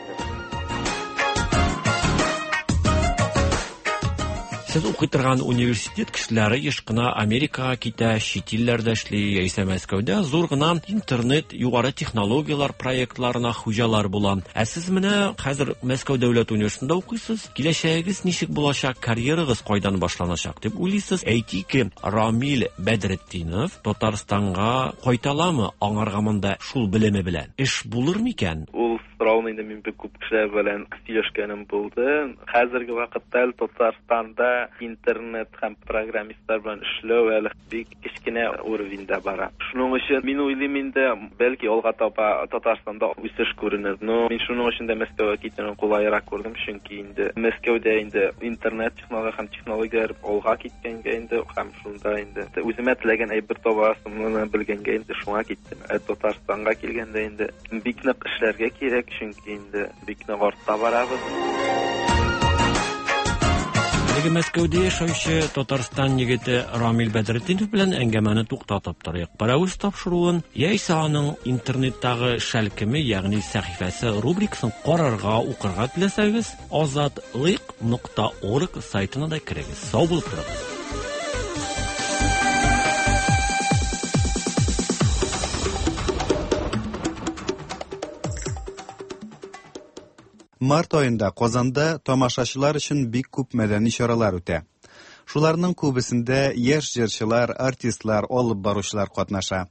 Сез укый торган университет кешеләре еш кына Америкага китә, чит илләрдә эшли, яисә Мәскәүдә зур гына интернет югары технологияләр проектларына хуҗалар була. Ә сез менә хәзер Мәскәү дәүләт университетында укыйсыз. Киләчәгегез ничек булачак, карьерагыз кайдан башланачак дип уйлыйсыз? Әйтик, Рамил Бәдретдинов Татарстанга кайта аламы? Аңарга монда шул белеме белән эш булыр микән? Ул Сорауны инде мин бик күп кешеләр белән сөйләшкәнем булды. Хәзерге вакытта әле Татарстанда интернет һәм программистлар белән эшләү әле бик кечкенә уровеньда бара. Шуның өчен мин уйлыйм инде, бәлки алга таба Татарстанда үсеш күренер. Но мин шуның өчен дә Мәскәүгә китүне кулайрак күрдем, чөнки инде Мәскәүдә инде интернет технология һәм технологияләр алга киткәнгә инде һәм шунда инде үземә теләгән әйбер табасымны белгәнгә инде шуңа киттем. Ә Татарстанга килгәндә инде Бик нык эшләргә кирәк, чөнки инде бик нык артта барабыз. Әлеге Мәскәүдә яшәүче Татарстан егете Рамил Бәдретдинов белән әңгәмәне туктатып торыйк. Пәрәвез тапшыруын яисә аның интернеттагы шәлкеме, ягъни сәхифәсе рубрикасын карарга, укырга теләсәгез, azatliq.org сайтына да керегез. Сау булып торыгыз. Март аенда Казанда тамашачылар өчен бик күп мәдәни чаралар үтә. Шуларның күбесендә яшь җырчылар, артистлар, алып баручылар катнаша.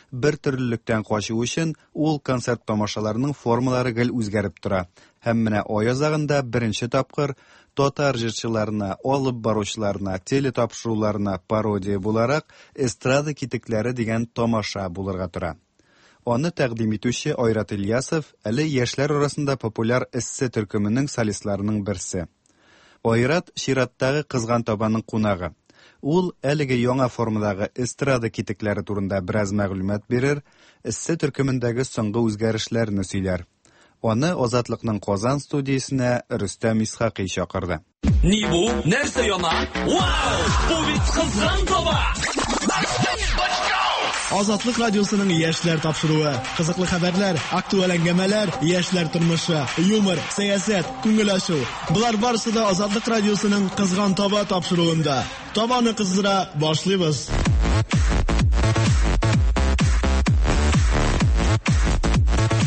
Бер төрлелектән качу өчен ул концерт тамашаларының формалары гел үзгәреп тора. Һәм менә ай азагында беренче тапкыр татар җырчыларына, алып баручыларына, телетапшыруларына пародия буларак Эстрада китекләре дигән тамаша булырга тора. Аны тәкъдим итүче Айрат Ильясов әле яшьләр арасында популяр Эссе төркеменең солистларының берсе. Айрат чираттагы Кызган табаның кунагы. Ул әлеге яңа формадагы эстрада китекләре турында бераз мәгълүмат бирер, Эссе төркемендәге соңгы үзгәрешләрне сөйләр. Аны Азатлыкның Казан студиясенә Рөстәм Исхакый чакырды. Ни бу? Нәрсә яна? Вау! Бу бит кызган таба! Азатлык радиосының яшьләр тапшыруы. Кызыклы хәбәрләр, актуаль әңгәмәләр, яшьләр тормышы, юмор, сәясәт, күңел ачу. Болар барысы да Азатлык радиосының Кызган таба тапшыруында. Табаны кыздыра башлыйбыз.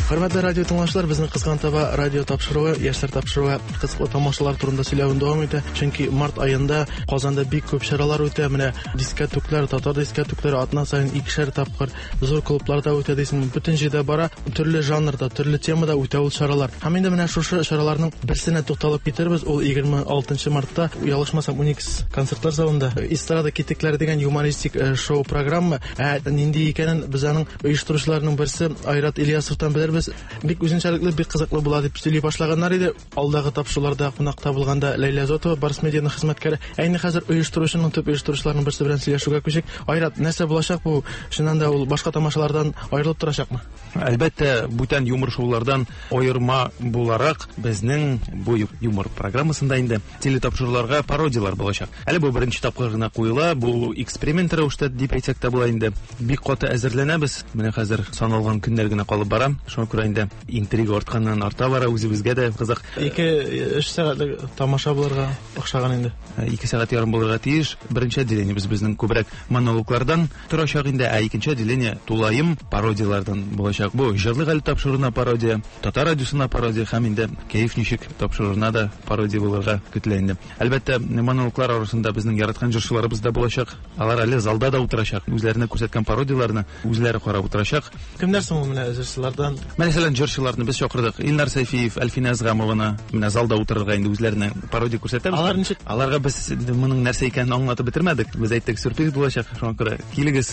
Хөрмәтле радио тыңлаучылар, безнең Кызган таба радио тапшыруы, яшьләр тапшыруы кызыклы тамашалар турында сөйләвен дәвам итә. Чөнки март аенда Казанда бик күп чаралар үтә. Менә дискәтүкләр, татар дискәтүкләре атна саен икешәр тапкыр зур клубларда үтә дисең. Бөтен җирдә бара, төрле жанрда, төрле темада үтә ул чаралар. Һәм инде менә шушы чараларның берсенә тукталып китербез. Ул 26 мартта, ялгышмасам, Уникс концертлар залында Эстрада китекләре дигән юмористик э, шоу-программа. Ә нинди икәнен без аның оештыручыларның берсе Айрат Ильясовтан белербез. Бик үзенчәлекле, бик кызыклы була дип сөйли башлаганнар иде. Алдагы тапшыруларда кунакта булганда Ләйлә Зотова, Барс Медианың хезмәткәре. Ә инде хәзер оештыручының төп оештыручыларның берсе белән сөйләшүгә күчик. Айрат, нәрсә булачак бу? Чыннан да ул башка тамашалардан аерылып торачакмы? Әлбәттә, бүтән юмор шоулардан аерма буларак безнең бу юмор программасында инде телетапшыруларга пародияләр булачак. Әле бу беренче тапкыр гына куела, бу эксперимент рәвештә дип әйтсәк тә була инде. Бик каты әзерләнәбез. Менә хәзер саналган көннәр генә калып бара. Шуңа күрә инде интрига артканнан арта бара, үзебезгә дә кызык. 2-3 сәгатьлек тамаша булырга охшаган инде. 2 сәгать ярым булырга тиеш. Беренче отделениебез безнең күбрәк монологлардан торачак инде, ә икенче отделение тулаем пародияләрдән булачак. Бу Җырлык әле тапшыруына пародия, Татар радиосына пародия һәм инде Кәеф ничек тапшыруына да пародия булырга көтелә инде. Әлбәттә, монологлар арасында безнең яраткан җырчыларыбыз да булачак. Алар әле залда да утырачак. Үзләренә күрсәткән пародияләрне үзләре карап утырачак. Кемнәр соң ул менә җырчылардан? Мәсәлән, җырчыларны без чакырдык. Илнар Сәйфиев, Әлфинә Әзгамованы менә залда утырырга инде үзләренә пародия күрсәтәбез. Алар ничек? Аларга без моның нәрсә икәнен аңлатып бетермәдек. Без әйттек, сюрприз булачак, шуңа күрә килегез,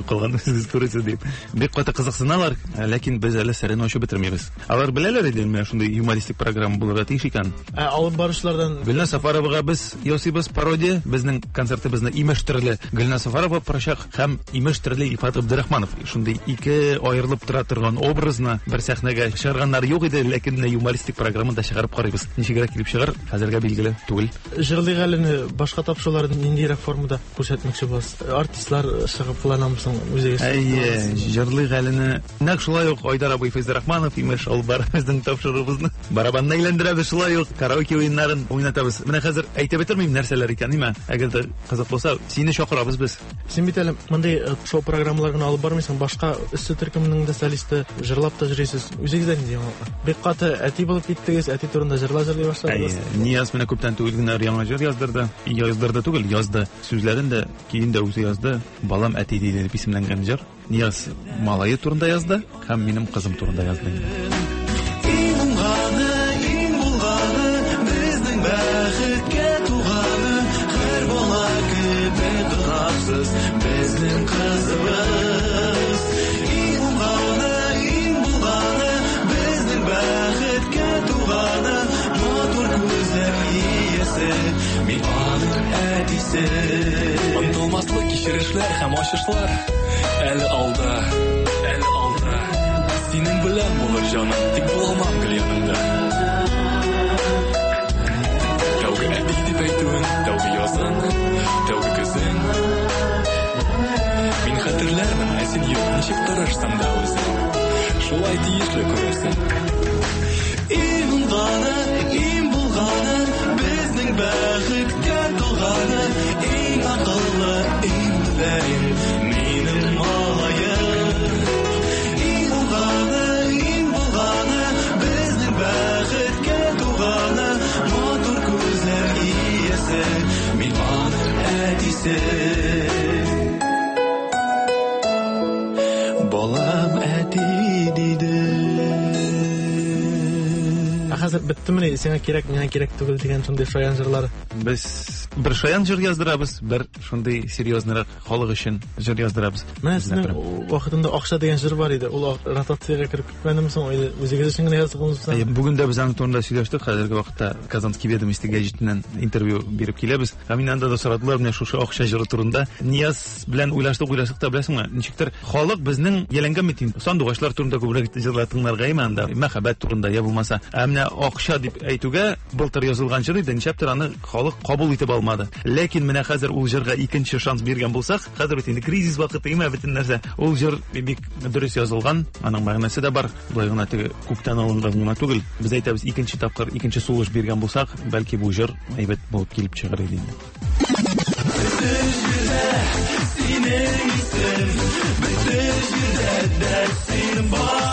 калган үзегез күрерсез дип. Бик каты кызыксыналар, ләкин без әле серен ачып бетермибез. Алар беләләр иде, менә шундый юмористик программа булырга тиеш икән. Ә алып баручылардан Гөлназ Сафаровага без ясыйбыз пародия. Безнең концертыбызны имеш төрле Гөлназ Сафарова барачак һәм имеш төрле Илфат Габдрахманов. Шундый ике аерылып тора торган образны бер сәхнәгә чыгарганнар юк иде, ләкин менә юмористик программада чыгарып карыйбыз. Ничегрәк килеп чыгар, хәзергә билгеле түгел. Җырлыйк әле башка тапшыруларны ниндирәк формада күрсәтмәкче буласыз? Артистлар чыгып кыланамы соң үзегез? Әйе, җырлыйк әлене. Нәкъ шулай ук Айдар абый Фәйзрахманов имеш алып бара безнең тапшыруыбызны. Барабанны әйләндерәбез шулай ук, караоке уеннарын уйнатабыз. Менә хәзер әйтеп бетермим нәрсәләр икән, ниме? Әгәр дә кызык булса, сине чакырабыз без. Син бит әле мондый э, шоу программалар гына алып бармыйсың, башка өсте төркеменең дә солисты, җырлап та йөрисез. Үзегездә нинди яңалыклар? Бик каты әти булып киттегез, әти турында җырлар җырлый башладыгыз. Әйе, Нияз менә күптән түгел генә яңа җыр яздырды. Яздырды түгел, язды. Сүзләрен дә, көен дә үзе язды. Балам әти диде дип исемләнгән җыр. Нияз малае турында язды һәм минем кызым турында язды инде. Иң уңганы, иң булганы, безнең бәхеткә туганы, һәр бала кебек гөнаһсыз безнең кызыбыз. Иң уңганы, иң булганы, безнең бәхеткә туганы, матур күзләр иясе, мин аның әтисе. Онытылмаслык кичерешләр һәм ачышлар әле алда, әле алда. Синең белән булыр җаным, тик булалмам гел яныңда. Тәүге әти дип әйтүең, тәүге язың, тәүге көзең. Мин хәтерләрмен, ә син юк, ничек тырышсаң да үзең. Шулай тиешле күрәсең. Иң уңганы, иң булганы, безнең бәхеткә туганы, иң акыллы, иң мөлаем, минем малаем. Иң уңганы, иң булганы, безнең бәхеткә туганы, матур күзләр иясе, мин аның әтисе. Балам әти диде. Ә хәзер беттемени сиңа кирәк, миңа кирәк түгел дигән шундый шаян җырлар? Без бер шаян җыр яздырабыз, бер шундый серьезныйрак халык өчен җыр яздырабыз. Менә сезнең вакытында акча дигән җыр бар иде. Ул ротациягә кереп китмәдеме соң? Или үзегез өчен генә яздыгызмы? Әйе, бүген дә без аның турында сөйләштек. Хәзерге вакытта Казанский ведомости гәҗитеннән интервью биреп киләбез. Һәм инде анда да сорадылар менә шушы акча җыры турында. Нияз белән уйлаштык, уйлаштык та беләсеңме, ничектер халык безнең яләнгән бит инде. Сандугачлар турында күбрәк җырлар тыңларга име анда, мәхәббәт турында я булмаса. Ә менә акча дип әйтүгә былтыр язылган җыр иде, ничәптер аны халык кабул итеп алмады. Ләкин менә хәзер ул җырга икенче шанс биргән булсак, хәзер бит инде кризис вакыты име бөтен нәрсә. Ул җыр бик дөрес язылган, аның мәгънәсе дә бар. Болай гына теге күктән алынган гына түгел. Без әйтәбез, икенче тапкыр, икенче сулыш биргән булсак, бәлки бу җыр әйбәт булып килеп чыгар иде инде. Бөтен җирдә синең исем, бөтен җирдә дә син бар.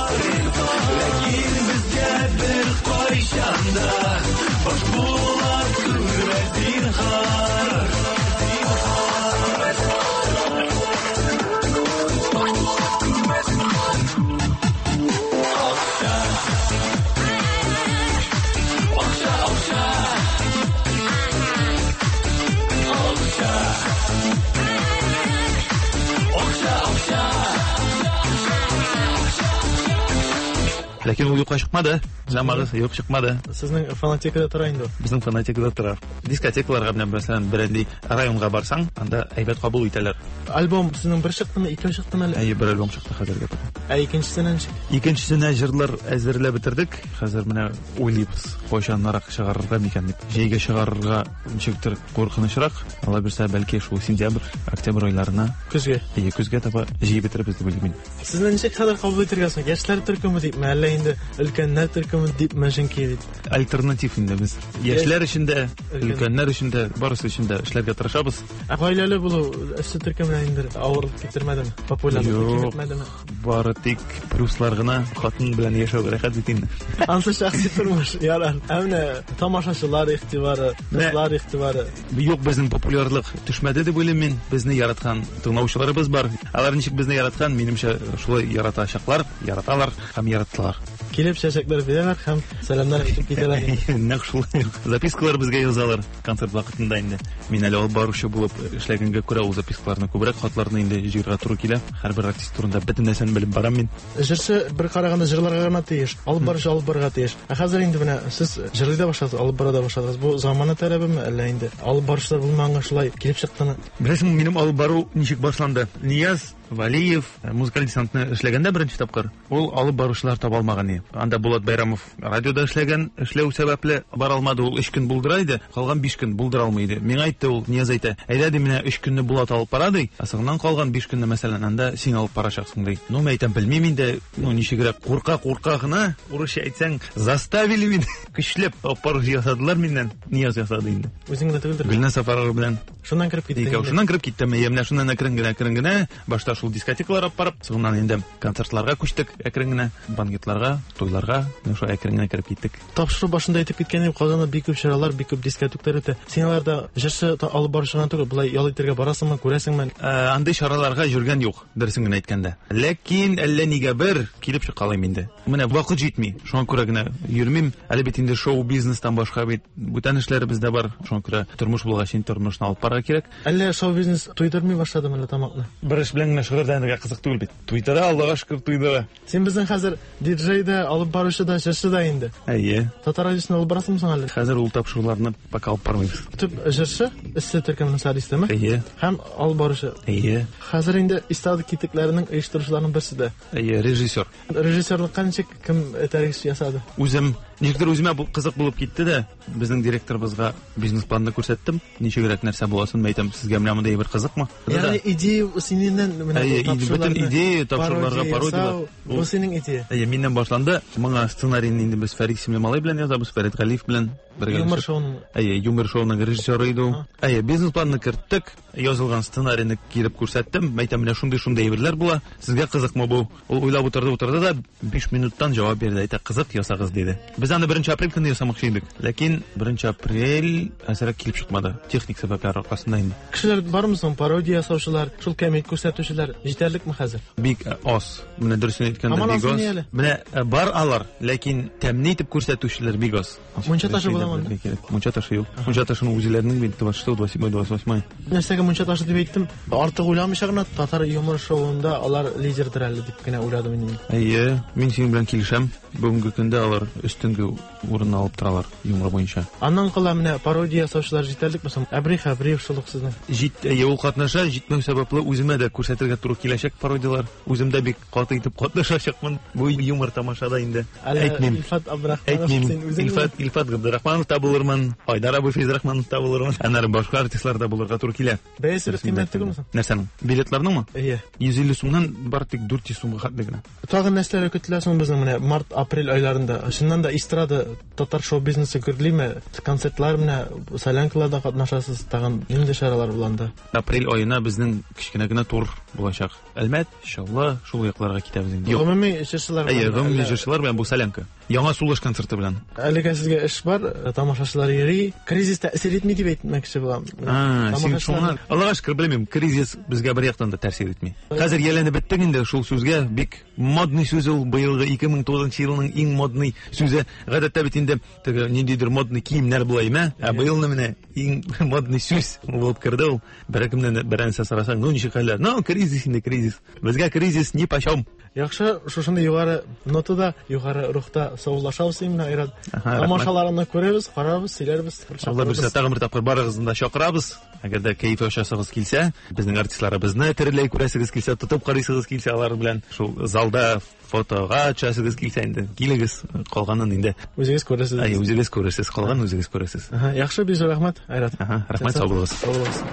Ләкин ул юкка чыкмады. Замагыз юк чыкмады. Сезнең фонотекада тора инде ул. Безнең фонотекада тора. Дискотекаларга менә мәсәлән, берәр районга барсаң, анда әйбәт кабул итәләр. Альбом сезнең бер чыктымы, икәү чыктымы әле? Әйе, бер альбом чыкты хәзергә таба. Ә икенчесенә ничек? Икенчесенә җырлар әзерләп бетердек. Хәзер менә уйлыйбыз, кайчанрак чыгарырга микән дип. Җәйгә чыгарырга ничектер куркынычрак. Алла бирсә, бәлки шул сентябрь, октябрь айларына. Көзгә. Әйе, көзгә таба җыеп бетерербез дип уйлыйм мин. Сезне ничек хәзер кабул итәргә соң? Яшьләр төркеме дипме, әллә инде өлкәннәр төркеме дипме, чөнки бит. Альтернатив инде без. Яшьләр өчен дә, өлкәннәр өчен дә, барысы өчен дә эшләргә тырышабыз. Ә гаиләле булу эшче төркеменә инде авырлык китермәдеме? Популярлык киметмәдеме? Бары тик плюслар гына, хатын белән яшәү рәхәт бит инде. Ансы шәхси тормыш, ярар. Ә менә тамашачылар игътибары, дуслар игътибары. Юк, безнең популярлык төшмәде дип уйлыйм мин. Безне яраткан тыңлаучыларыбыз бар. Алар ничек безне яраткан, минемчә, шулай яратачаклар, яраталар һәм яраттылар. Килеп чәчәкләр бирәләр һәм сәламнәр әйтеп китәләр. Нәкъ шулай. Запискалар безгә язалар концерт вакытында инде. Мин әле алып баручы булып эшләгәнгә күрә ул запискаларны күбрәк хатларны инде җыярга туры килә. Һәрбер артист турында бөтен нәрсәне белеп барам мин. Җырчы бер караганда җырларга гына тиеш, алып баручы алып барырга тиеш. Ә хәзер инде менә сез җырлый да башладыгыз, алып бара да башладыгыз. Бу замана таләбеме, әллә инде алып баручылар булмаганга шулай килеп чыктымы? Беләсеңме, минем алып бару ничек башланды? Нияз Валиев музыкаль десантны эшләгәндә беренче тапкыр ул алып баручылар таба алмаган иде. Анда Булат Байрамов радиода эшләгән, эшләү сәбәпле бара алмады, ул 3 көн булдыра иде, калган 5 көн булдыра алмый иде. Миңа әйтте ул, Нияз әйтә, әйдә ди, менә 3 көнне Булат алып бара ди, ә соңыннан калган 5 көнне мәсәлән анда син алып барачаксың ди. Ну, мин әйтәм, белмим инде, ну ничегрәк курка-курка гына, урысча әйтсәң, заставили мине, көчләп алып баручы ясадылар миннән. Нияз ясады инде. Үзең генә түгелдер? Гөлназ Сафарова белән. Шуннан кереп киттең. Икәү шуннан кереп киттем. Әйе, менә шуннан әкрен генә, әкрен генә башта шул дискотекалар алып барып, соңыннан инде концертларга күчтек, әкрен генә банкетларга, туйларга, менә шулай әкрен генә кереп киттек. Тапшыру башында әйтеп киткән идем, Казанда бик күп чаралар, бик күп дискотеклар үтә. Син аларда җырчы алып баручы гына түгел, болай ял итәргә барасыңмы, күрәсеңме? Андый чараларга йөргән юк, дөресен генә әйткәндә. Ләкин әллә нигә бер килеп чыккалыйм инде. Менә вакыт җитми, шуңа күрә генә йөрмим. Әле бит инде шоу-бизнестан башка бит бүтән эшләребез дә бар. Шуңа күрә тормыш булгач, инде тормышны алып барырга кирәк. Әллә шоу-бизнес туйдырмый башладымы әллә тамакны? Бер эш белән генә шөгыльләнергә кызык түгел бит. Туйдыра, Аллага шөкер, туйдыра. Син безнең хәзер диджей да, алып баручы да, җырчы да инде. Әйе. Татар радиосын алып барасыңмы соң әле? Хәзер ул тапшыруларны пока алып бармыйбыз. Төп җырчы, эссе төркеменең солисты-мы? Әйе. Һәм алып баручы. Әйе. Хәзер инде эстрада китекләренең оештыручыларының берсе дә. Әйе, режиссер. Режиссерлыкка ничек кем этәргеч ясады? Үзем, ничектер үземә бу кызык булып китте дә, безнең директорыбызга бизнес-планны күрсәттем. Ничегрәк нәрсә буласын әйтәм, сезгә менә мондый әйбер кызыкмы? Ягъни идея синнән менә Әйе, бөтен идея тапшыруларга пародиялар. Бу синең идея. Әйе, миннән башланды. Моңа сценарийны инде без Фәрит исемле малай белән язабыз, Фәрит Галиев белән бергә. Юмор шоуның. Әйе, юмор шоуның режиссеры иде ул. Әйе, бизнес-планны керттек, язылган сценарийны килеп күрсәттем. Әйтәм, менә шундый-шундый әйберләр була. Сезгә кызыкмы бу? Ул уйлап утырды, утырды да 5 минуттан җавап бирде. Әйтә, кызык, ясагыз, диде. Без аны 1 апрель көнне ясамакчы идек. Ләкин 1 апрель әзрәк килеп чыкмады. Техник сәбәпләр аркасында инде. Кешеләр бармы соң? Пародия ясаучылар, шул кәмит күрсәтүчеләр җитәрлекме хәзер? Бик аз. Менә дөресен әйткәндә, бик аз. Менә бар алар, ләкин тәмле итеп күрсәтүчеләр бик аз. Мунча ташы буламы анда? Мунча ташы юк. Мунча ташының үзләренең бит 26, 27, 28. Нәрсәгә мунча ташы дип әйттем? Артык уйламыйча гына татар юмор шоуында алар лидердыр әле дип кенә уйладым инде. Әйе, мин синең белән килешәм. Бүгенге көндә алар өстенге урынны алып торалар юмор буенча. Аннан кала менә пародия ясаучылар җитәрлекме соң? Әбри Хәбриев шул ук сезнең. Җит, әйе, ул катнаша, җитмәү сәбәпле үземә дә күрсәтергә туры киләчәк пародияләр. Үзем дә бик каты итеп катнашачакмын. Бу юмор тамашада инде. Әйтмим. Илфат Абдрахманов син үзең. Илфат, Илфат Габдрахманов та булырмын, Айдар абый Фәйзрахманов та булырмын. Аннары башка артистлар да булырга туры килә. Бәясе бик кыйммәт түгелме соң? Нәрсәнең? Билетларныңмы? Әйе. 150 сумнан бары тик 400 сумга хәтле генә. Тагын нәрсәләр көтелә соң безнең менә март, апрель айларында? Чыннан да эстрада, татар шоу-бизнесы гөрлиме? Концертлар менә солянкаларда катнашасыз, тагын нинди чаралар була анда? Апрель аена безнең кечкенә генә тур булачак. Әлмәт, Чаллы, шул якларга китәбез инде. Гомуми җырчылар белән. Әйе, гомуми җырчылар белән бу солянка. Яңа сулыш концерты белән. Әлегә сезгә эш бар, тамашачылар йөри. Кризис тәэсир итми дип әйтмәкче булам. Син шуңа. Аллага шөкер, белмим, кризис безгә бер яктан да тәэсир итми. Хәзер ияләнеп беттек инде шул сүзгә. Бик модный сүз ул, быелгы 2009 елның иң модный сүзе. Гадәттә бит инде теге ниндидер модный киемнәр була име? Ә быелны менә иң модный сүз булып керде ул. Беркемнән берәрсе сорасаң, ну ничек хәлләр? Ну, кризис инде, кризис. Безгә кризис нипочем. Яхшы, шушындый югары нотада, югары рухта саубуллашабыз синең белән, Айрат. Тамашаларыңны күрербез, карарбыз, сөйләрбез. Алла бирсә, тагын бер тапкыр барыгызны да чакырабыз. Әгәр дә кәеф ачасыгыз килсә, безнең артистларыбызны тереләй күрәсегез килсә, тотып карыйсыгыз килсә, алар белән шул залда фотога төшәсегез килсә инде, килегез, калганын инде. Үзегез күрерсез. Әйе, үзегез күрерсез, калганын үзегез күрерсез. Яхшы, бик зур рәхмәт, Айрат. Рәхмәт, сау булыгыз. Сау булыгыз.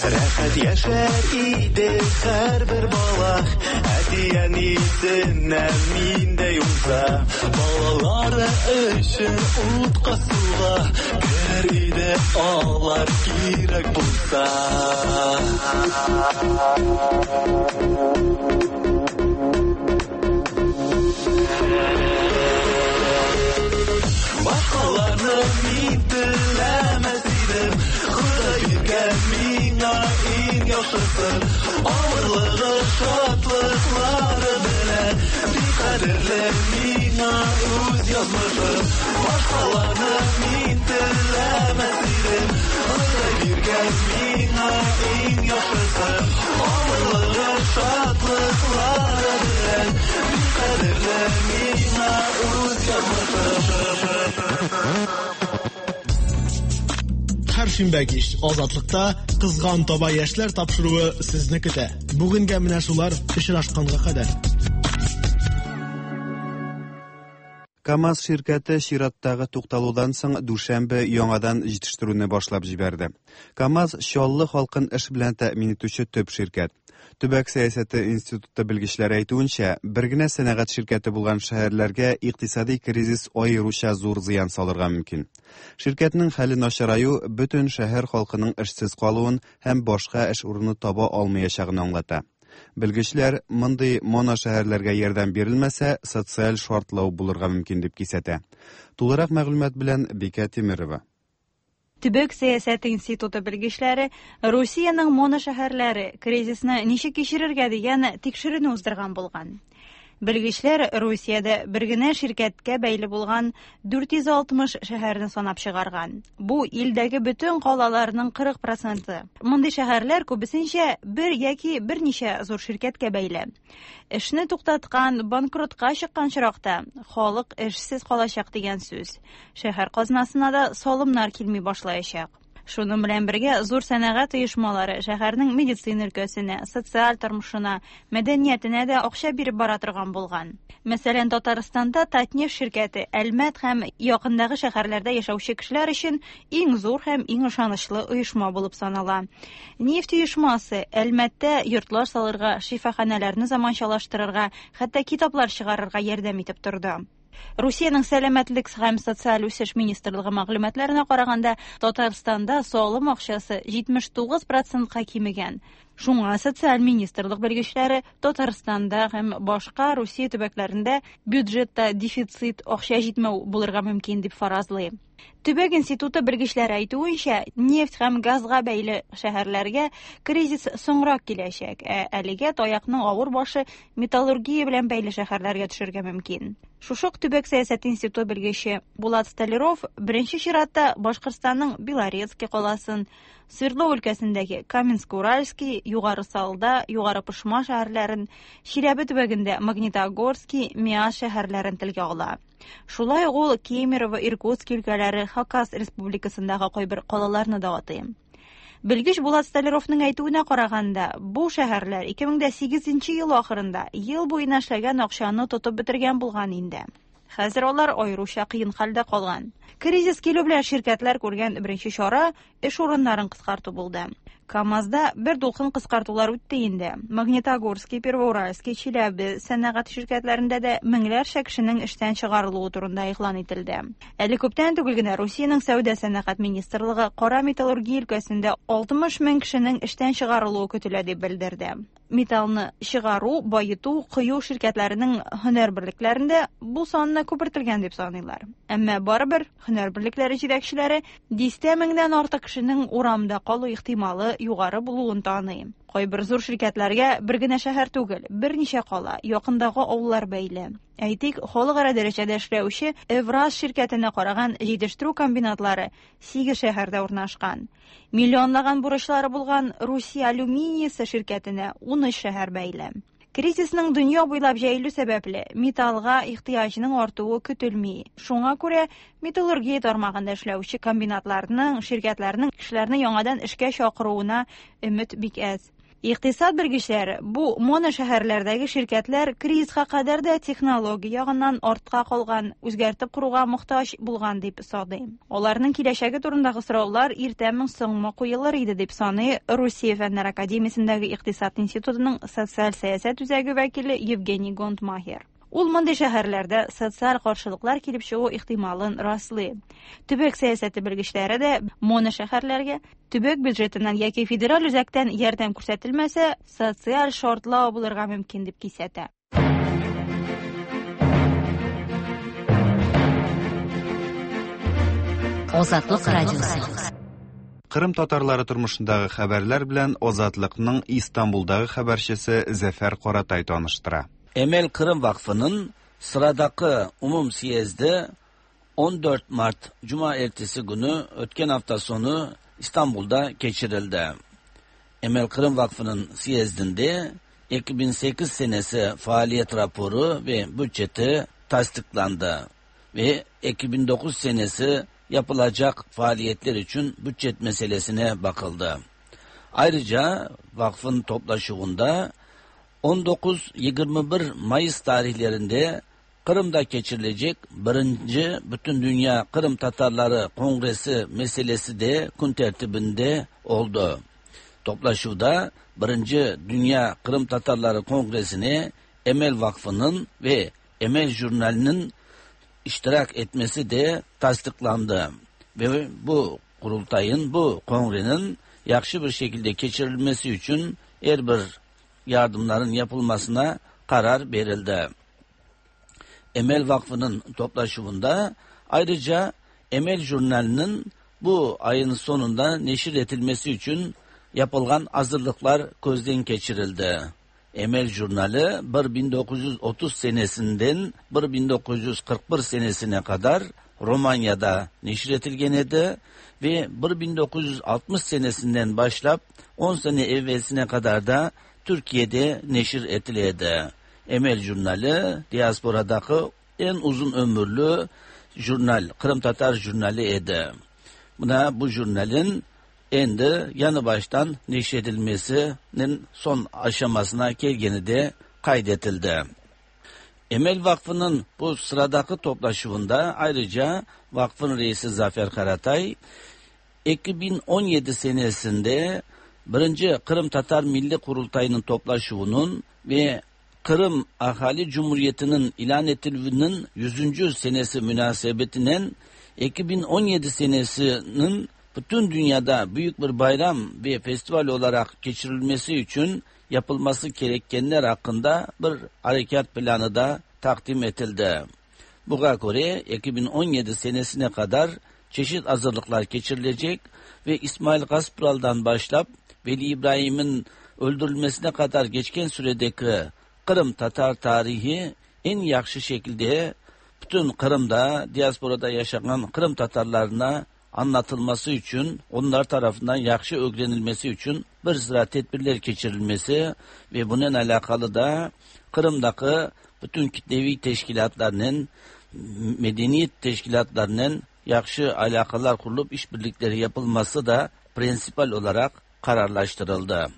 Рәхәт яшәр иде һәрбер бала, әти-әнисеннән миндәй уңса. Балалары өчен утка суга керер иде алар кирәк булса. Башкаларны мин теләмәс идем, Ходай биргән миңа иң яхшысын. Авырлыгы, шатлыклары белән бик кадерле миңа үз язмышым. Башкаларны мин теләмәс идем, Ходай биргән миңа иң яхшысын. Авырлыгы, шатлыклары белән бик кадерле миңа үз язмышым. Һәр шимбә кич Азатлыкта Кызган таба яшьләр тапшыруы сезне көтә. Бүгенгә менә шулар, очрашканга кадәр. КАМАЗ ширкәте чираттагы тукталудан соң дүшәмбе яңадан җитештерүне башлап җибәрде. КАМАЗ Чаллы халкын эш белән тәэмин итүче төп ширкәт. Төбәк сәясәте институты белгечләре әйтүенчә, бер генә сәнәгать ширкәте булган шәһәрләргә икътисади кризис аеруча зур зыян салырга мөмкин. Ширкәтнең хәле начараю бөтен шәһәр халкының эшсез калуын һәм башка эш урыны таба алмаячагын аңлата. Белгечләр, мондый моношәһәрләргә ярдәм бирелмәсә, социаль шартлау булырга мөмкин дип кисәтә. Тулырак мәгълүмат белән Бикә Тимерова. Төбәк сәясәте институты белгечләре Русиянең моношәһәрләре кризисны ничек кичерергә дигән тикшеренү уздырган булган. Белгечләр Русиядә бер генә ширкәткә бәйле булган 460 шәһәрне санап чыгарган. Бу илдәге бөтен калаларның 40 проценты. Мондый шәһәрләр күбесенчә бер яки берничә зур ширкәткә бәйле. Эшне туктаткан, банкротка чыккан очракта халык эшсез калачак дигән сүз. Шәһәр казнасына да салымнар килми башлаячак. Шуның белән бергә зур сәнәгать оешмалары шәһәрнең медицина өлкәсенә, социаль тормышына, мәдәниятенә дә акча биреп бара торган булган. Мәсәлән, Татарстанда Татнефть ширкәте Әлмәт һәм якындагы шәһәрләрдә яшәүче кешеләр өчен иң зур һәм иң ышанычлы оешма булып санала. Нефть оешмасы Әлмәттә йортлар салырга, шифаханәләрне заманчалаштырырга, хәтта китаплар чыгарырга ярдәм итеп торды. Русиянең Сәламәтлек һәм социаль үсеш министрлыгы мәгълүматларына караганда, Татарстанда салым акчасы 79 процентка кимегән. Шуңа социаль министрлык белгечләре Татарстанда һәм башка Русия төбәкләрендә бюджетта дефицит, акча җитмәү булырга мөмкин дип фаразлый. Төбәк институты белгечләре әйтүенчә, нефть һәм газга бәйле шәһәрләргә кризис соңрак киләчәк, ә әлегә таякның авыр башы металлургия белән бәйле шәһәрләргә төшергә мөмкин. Шушы ук Төбәк сәясәте институты белгече Булат Столяров беренче чиратта Башкортстанның Белорецкий каласын, Свердлов өлкәсендәге Каменск-Уральский, Югары Салда, Югары Пышма шәһәрләрен, Чиләбе төбәгендә Магнитогорский, Миасс шәһәрләрен телгә ала. Шулай ук ул Кемерово, Иркутски өлкәләре, Хакас республикасындагы кайбер калаларны да атый. Белгеч Булат Столяровның әйтүенә караганда, бу шәһәрләр 2008 нче ел ахырында ел буена эшләгән акчаны тотып бетергән булган инде. Хәзер алар аеруча кыен хәлдә калган. Кризис килү белән ширкәтләр күргән беренче чара, эш урыннарын кыскарту булды. КАМАЗда бер дулкын кыскартулар үтте инде. Магнитогорский, Первоуральский, Чиләбе сәнәгать ширкәтләрендә дә меңләрчә кешенең эштән чыгарылуы турында игълан ителде. Әле күптән түгел генә Русиянең сәүдә-сәнәгать министрлыгы кара металлургия өлкәсендә 60 мең кешенең эштән чыгарылуы көтелә дип белдерде. Металлны чыгару, баету, кою ширкәтләренең һөнәр берлекләрендә бу санны күпертелгән дип саныйлар. Әмма барыбер һөнәр берлекләре җитәкчеләре дистә меңнән артык кешенең урамда калу ихтималы югары булуын таный. Кайбер зур ширкәтләргә бер генә шәһәр түгел, берничә кала, якындагы авыллар бәйле. Әйтик, халыкара дәрәҗәдә эшләүче Эвраз ширкәтенә караган җитештерү комбинатлары сигез шәһәрдә урнашкан. Миллионлаган бурычлары булган Русия алюминиясе ширкәтенә 13 шәһәр бәйле. Кризисның дөнья буйлап җәелү сәбәпле, металлга ихтыяҗның артуы көтелми. Шуңа күрә металлургия тармагында эшләүче комбинатларның, ширкәтләрнең кешеләрне яңадан эшкә чакыруына өмет бик әз. Икътисад белгечләре бу моношәһәрләрдәге ширкәтләр кризиска кадәр дә технология ягыннан артка калган, үзгәртеп коруга мохтаҗ булган дип саный. Аларның киләчәге турындагы сораулар иртәме соңмы куелыр иде дип саный Русия Фәннәр академиясендәге икътисад институтының социаль сәясәт үзәге вәкиле Евгений Гондмахер. Ул мондый шәһәрләрдә социаль каршылыклар килеп чыгу ихтималын раслый. Төбәк сәясәте белгечләре дә моношәһәрләргә төбәк бюджетыннан яки федераль үзәктән ярдәм күрсәтелмәсә, социаль шартлау булырга мөмкин дип кисәтә. Азатлык радиосы. Кырым татарлары тормышындагы хәбәрләр белән Азатлыкның Истанбулдагы хәбәрчесе Зәфәр Каратай таныштыра. Emel Kırım Vakfı'nın sıradaki umum siyezdi 14 Mart Cuma ertesi günü ötken hafta sonu İstanbul'da geçirildi. Emel Kırım Vakfı'nın siyezdinde 2008 senesi faaliyet raporu ve bütçeti tasdiklandı ve 2009 senesi yapılacak faaliyetler için bütçet meselesine bakıldı. Ayrıca vakfın toplaşığında 19-21 Mayıs tarihlerinde Kırım'da geçirilecek 1. Bütün Dünya Kırım Tatarları Kongresi meselesi de gün tertibinde oldu. Toplaşuvda 1. Dünya Kırım Tatarları Kongresi'ne Emel Vakfı'nın ve Emel Jurnali'nin iştirak etmesi de tasdiklandı. Ve bu kurultayın, bu kongrenin yaxşı bir şekilde geçirilmesi için her bir yardımların yapılmasına karar verildi. Emel Vakfı'nın toplaşımında ayrıca Emel Jurnali'nin bu ayın sonunda neşir edilmesi için yapılan hazırlıklar gözden geçirildi. Emel Jurnali 1930 senesinden 1941 senesine kadar Romanya'da neşir edilgen edi ve 1960 senesinden başlap 10 sene evvelsine kadar da Türkiye'de neşir edildi. Emel Jurnali diasporadaki en uzun ömürlü jurnal, Kırım Tatar jurnali edi. Buna bu jurnalin endi yanı baştan neşredilmesinin son aşamasına gelgeni de kaydedildi. Emel Vakfı'nın bu sıradaki toplaşuvunda ayrıca vakfın reisi Zafer Karatay 2017 senesinde 1. Kırım Tatar Milli Kurultayı'nın toplaşuvunun ve Kırım Ahali Cumhuriyeti'nin ilan edilmesinin 100. senesi münasebetinden 2017 senesinin bütün dünyada büyük bir bayram ve festival olarak geçirilmesi için yapılması gerekenler hakkında bir harekat planı da takdim edildi. Buna göre 2017 senesine kadar çeşit hazırlıklar geçirilecek ve İsmail Gaspral'dan başlap Veli İbrahim'in öldürülmesine kadar geçken süredeki Kırım Tatar tarihi en yaxşı şekilde bütün Kırım'da, diasporada yaşayan Kırım Tatarlarına anlatılması için, onlar tarafından yaxşı öğrenilmesi için bir sıra tedbirler geçirilmesi ve bunun alakalı da Kırım'daki bütün kitlevi teşkilatlarının, medeniyet teşkilatlarının yaxşı alakalar kurulup işbirlikleri yapılması da prensipal olarak kararlaştırıldı.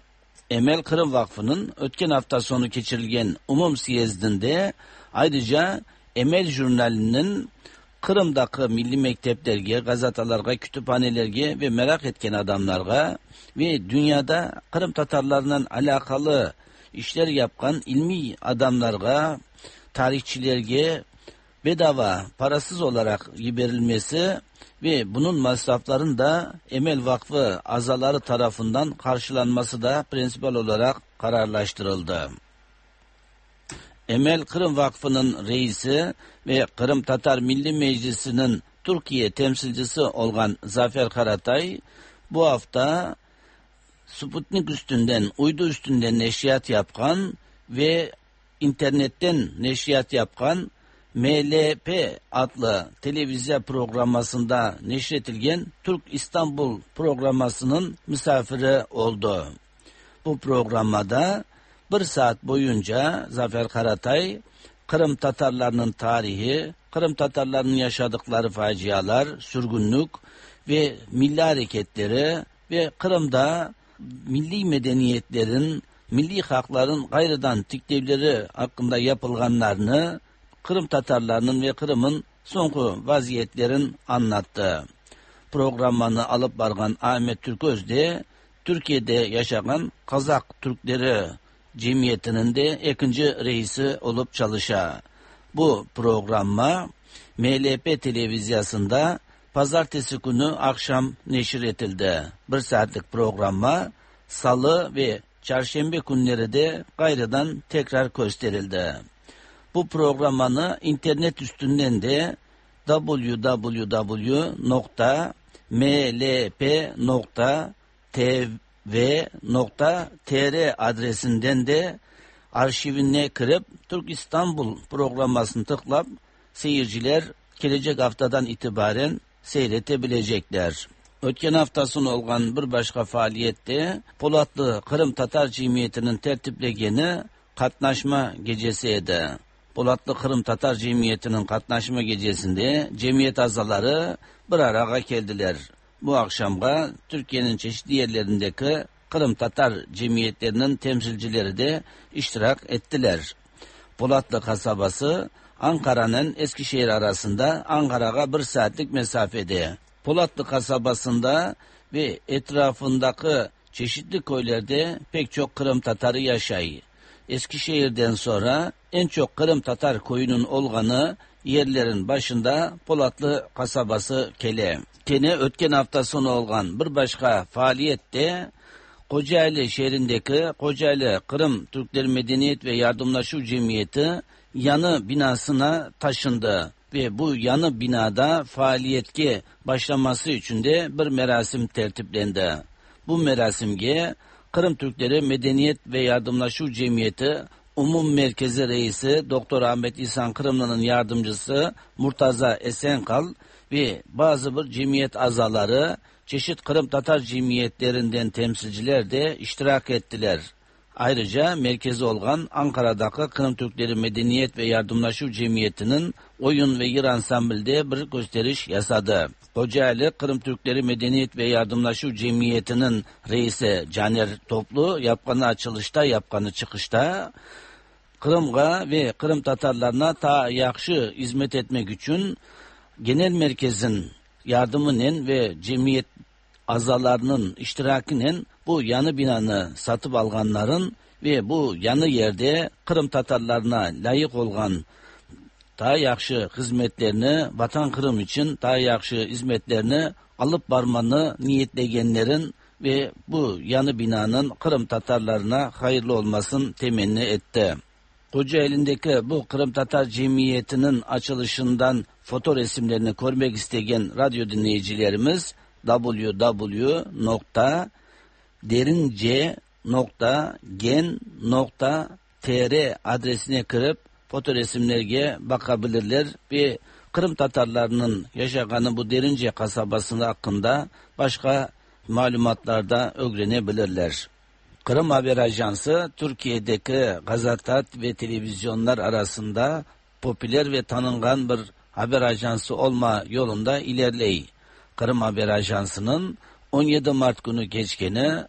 Emel Kırım Vakfı'nın ötken hafta sonu geçirilgen umum siyezdinde ayrıca Emel Jurnali'nin Qırımdaki milli mekteplerge, gazetalarga, kütüphanelerge ve merak etken adamlarga ve dünyada Kırım Tatarlarından alakalı işler yapkan ilmi adamlarga, tarihçilerge bedava, parasız olarak verilmesi ve bunun masraflarının da Emel Vakfı azaları tarafından karşılanması da prensipal olarak kararlaştırıldı. Emel Kırım Vakfı'nın reisi ve Kırım Tatar Milli Meclisi'nin Türkiye temsilcisi olan Zafer Karatay bu hafta Sputnik üstünden, uydu üstünden neşriyat yapan ve internetten neşriyat yapan MLP adlı televizyon programmasında neşretilgen Türk İstanbul programmasının misafiri oldu. Bu programmada bir saat boyunca Zafer Karatay, Kırım Tatarlarının tarihi, Kırım Tatarlarının yaşadıkları facialar, sürgünlük ve milli hareketleri ve Kırım'da milli medeniyetlerin, milli hakların gayrıdan tiklevleri hakkında yapılganlarını Kırım Tatarlarının ve Kırım'ın sonku vaziyetlerin anlattı. Programını alıp bargan Ahmet Türköz de Türkiye'de yaşayan Kazak Türkleri Cemiyeti'nin de ikinci reisi olup çalışa. Bu programma MLP televizyasında pazartesi günü akşam neşir etildi. Bir saatlik programma salı ve çarşamba günleri de gayrıdan tekrar gösterildi. Bu programını internet üstünden de www.mlp.tv.tr adresinden de arşivine kirip Türk İstanbul programmasını tıklap seyirciler gelecek haftadan itibaren seyretebilecekler. Ötken haftasını olgan bir başka faaliyette Polatlı Kırım Tatar Cemiyeti'nin tertiplegeni Katnaşma Gecesi edi. Polatlı Kırım Tatar Cemiyeti'nin katnaşma gecesinde cemiyet azaları bir araya geldiler. Bu akşamga Türkiye'nin çeşitli yerlerindeki Kırım Tatar cemiyetlerinin temsilcileri de iştirak ettiler. Polatlı kasabası Ankara'nın Eskişehir arasında Ankara'ya bir saatlik mesafede. Polatlı kasabasında ve etrafındaki çeşitli köylerde pek çok Kırım Tatarı yaşay. Eskişehir'den sonra en çok Kırım Tatar koyunun olganı yerlerin başında Polatlı kasabası kele. Kene ötken hafta sonu olgan bir başka faaliyette Kocaeli şehrindeki Kocaeli Kırım Türkleri Medeniyet ve Yardımlaşma Cemiyeti yanı binasına taşındı ve bu yanı binada faaliyetke başlaması için de bir merasim tertiplendi. Bu merasimge Kırım Türkleri Medeniyet ve Yardımlaşma Cemiyeti Umum Merkezi Reisi Doktor Ahmet İhsan Kırımlı'nın yardımcısı Murtaza Esenkal ve bazı bir cemiyet azaları, çeşit Kırım Tatar cemiyetlerinden temsilciler de iştirak ettiler. Ayrıca merkezi olan Ankara'daki Kırım Türkleri Medeniyet ve Yardımlaşma Cemiyeti'nin oyun ve yır ansamblde bir gösteriş yasadı. Kocaeli Kırım Türkleri Medeniyet ve Yardımlaşma Cemiyeti'nin reisi Caner Toplu yapqanı açılışta, yapqanı çıkışta Kırım'a ve Kırım Tatarlarına ta yaxşı hizmet etmek için genel merkezin yardımının ve cemiyet azalarının iştirakinin bu yanı binanı satıp alganların ve bu yanı yerde Kırım Tatarlarına layık olan daha yaxşı hizmetlerini, Vatan Kırım için daha yaxşı hizmetlerini alıp barmanı niyetlegenlerin ve bu yanı binanın Kırım Tatarlarına hayırlı olmasın temenni etti. Kocaeli'ndeki bu Kırım Tatar Cemiyeti'nin açılışından foto resimlerini görmek isteyen radyo dinleyicilerimiz www.derince.gen.tr adresine kirip foto resimlerge bakabilirler ve Kırım Tatarlarının yaşaganı bu Derince kasabasının hakkında başka malumatlarda öğrenebilirler. Kırım Haber Ajansı Türkiye'deki gazete ve televizyonlar arasında popüler ve tanıngan bir haber ajansı olma yolunda ilerley. Kırım Haber Ajansı'nın 17 Mart günü geçkeni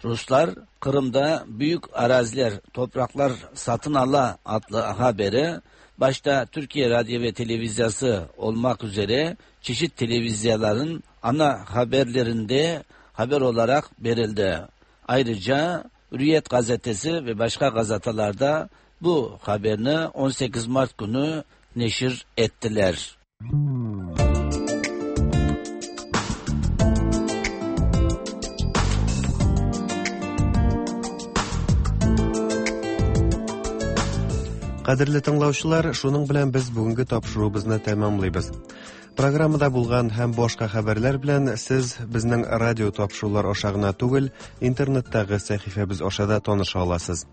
Ruslar Kırım'da büyük araziler, topraklar satın ala adlı haberi başta Türkiye Radyo ve Televizyası olmak üzere çeşit televizyaların ana haberlerinde haber olarak verildi. Ayrıca Hürriyet gazetesi ve başka gazetelerde bu haberini 18 Mart günü neşir ettiler. Кадерле тыңлаучылар, шуның белән без бүгенге тапшыруыбызны тәмамлыйбыз. Программада булган һәм башка хәбәрләр белән сез безнең радио тапшырулар аша гына түгел, интернеттагы сәхифәбез аша да таныша аласыз.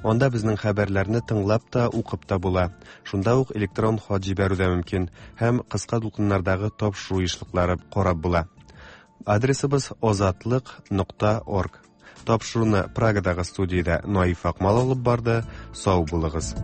Анда безнең хәбәрләрне тыңлап та, укып та була. Шунда ук электрон хат җибәрү дә мөмкин һәм кыска дулкыннардагы тапшыру ешлыклары карап була. Адресыбыз озатлык.орг. Тапшыруны Прагадагы студиядә Наиф Акмал алып барды. Сау булыгыз.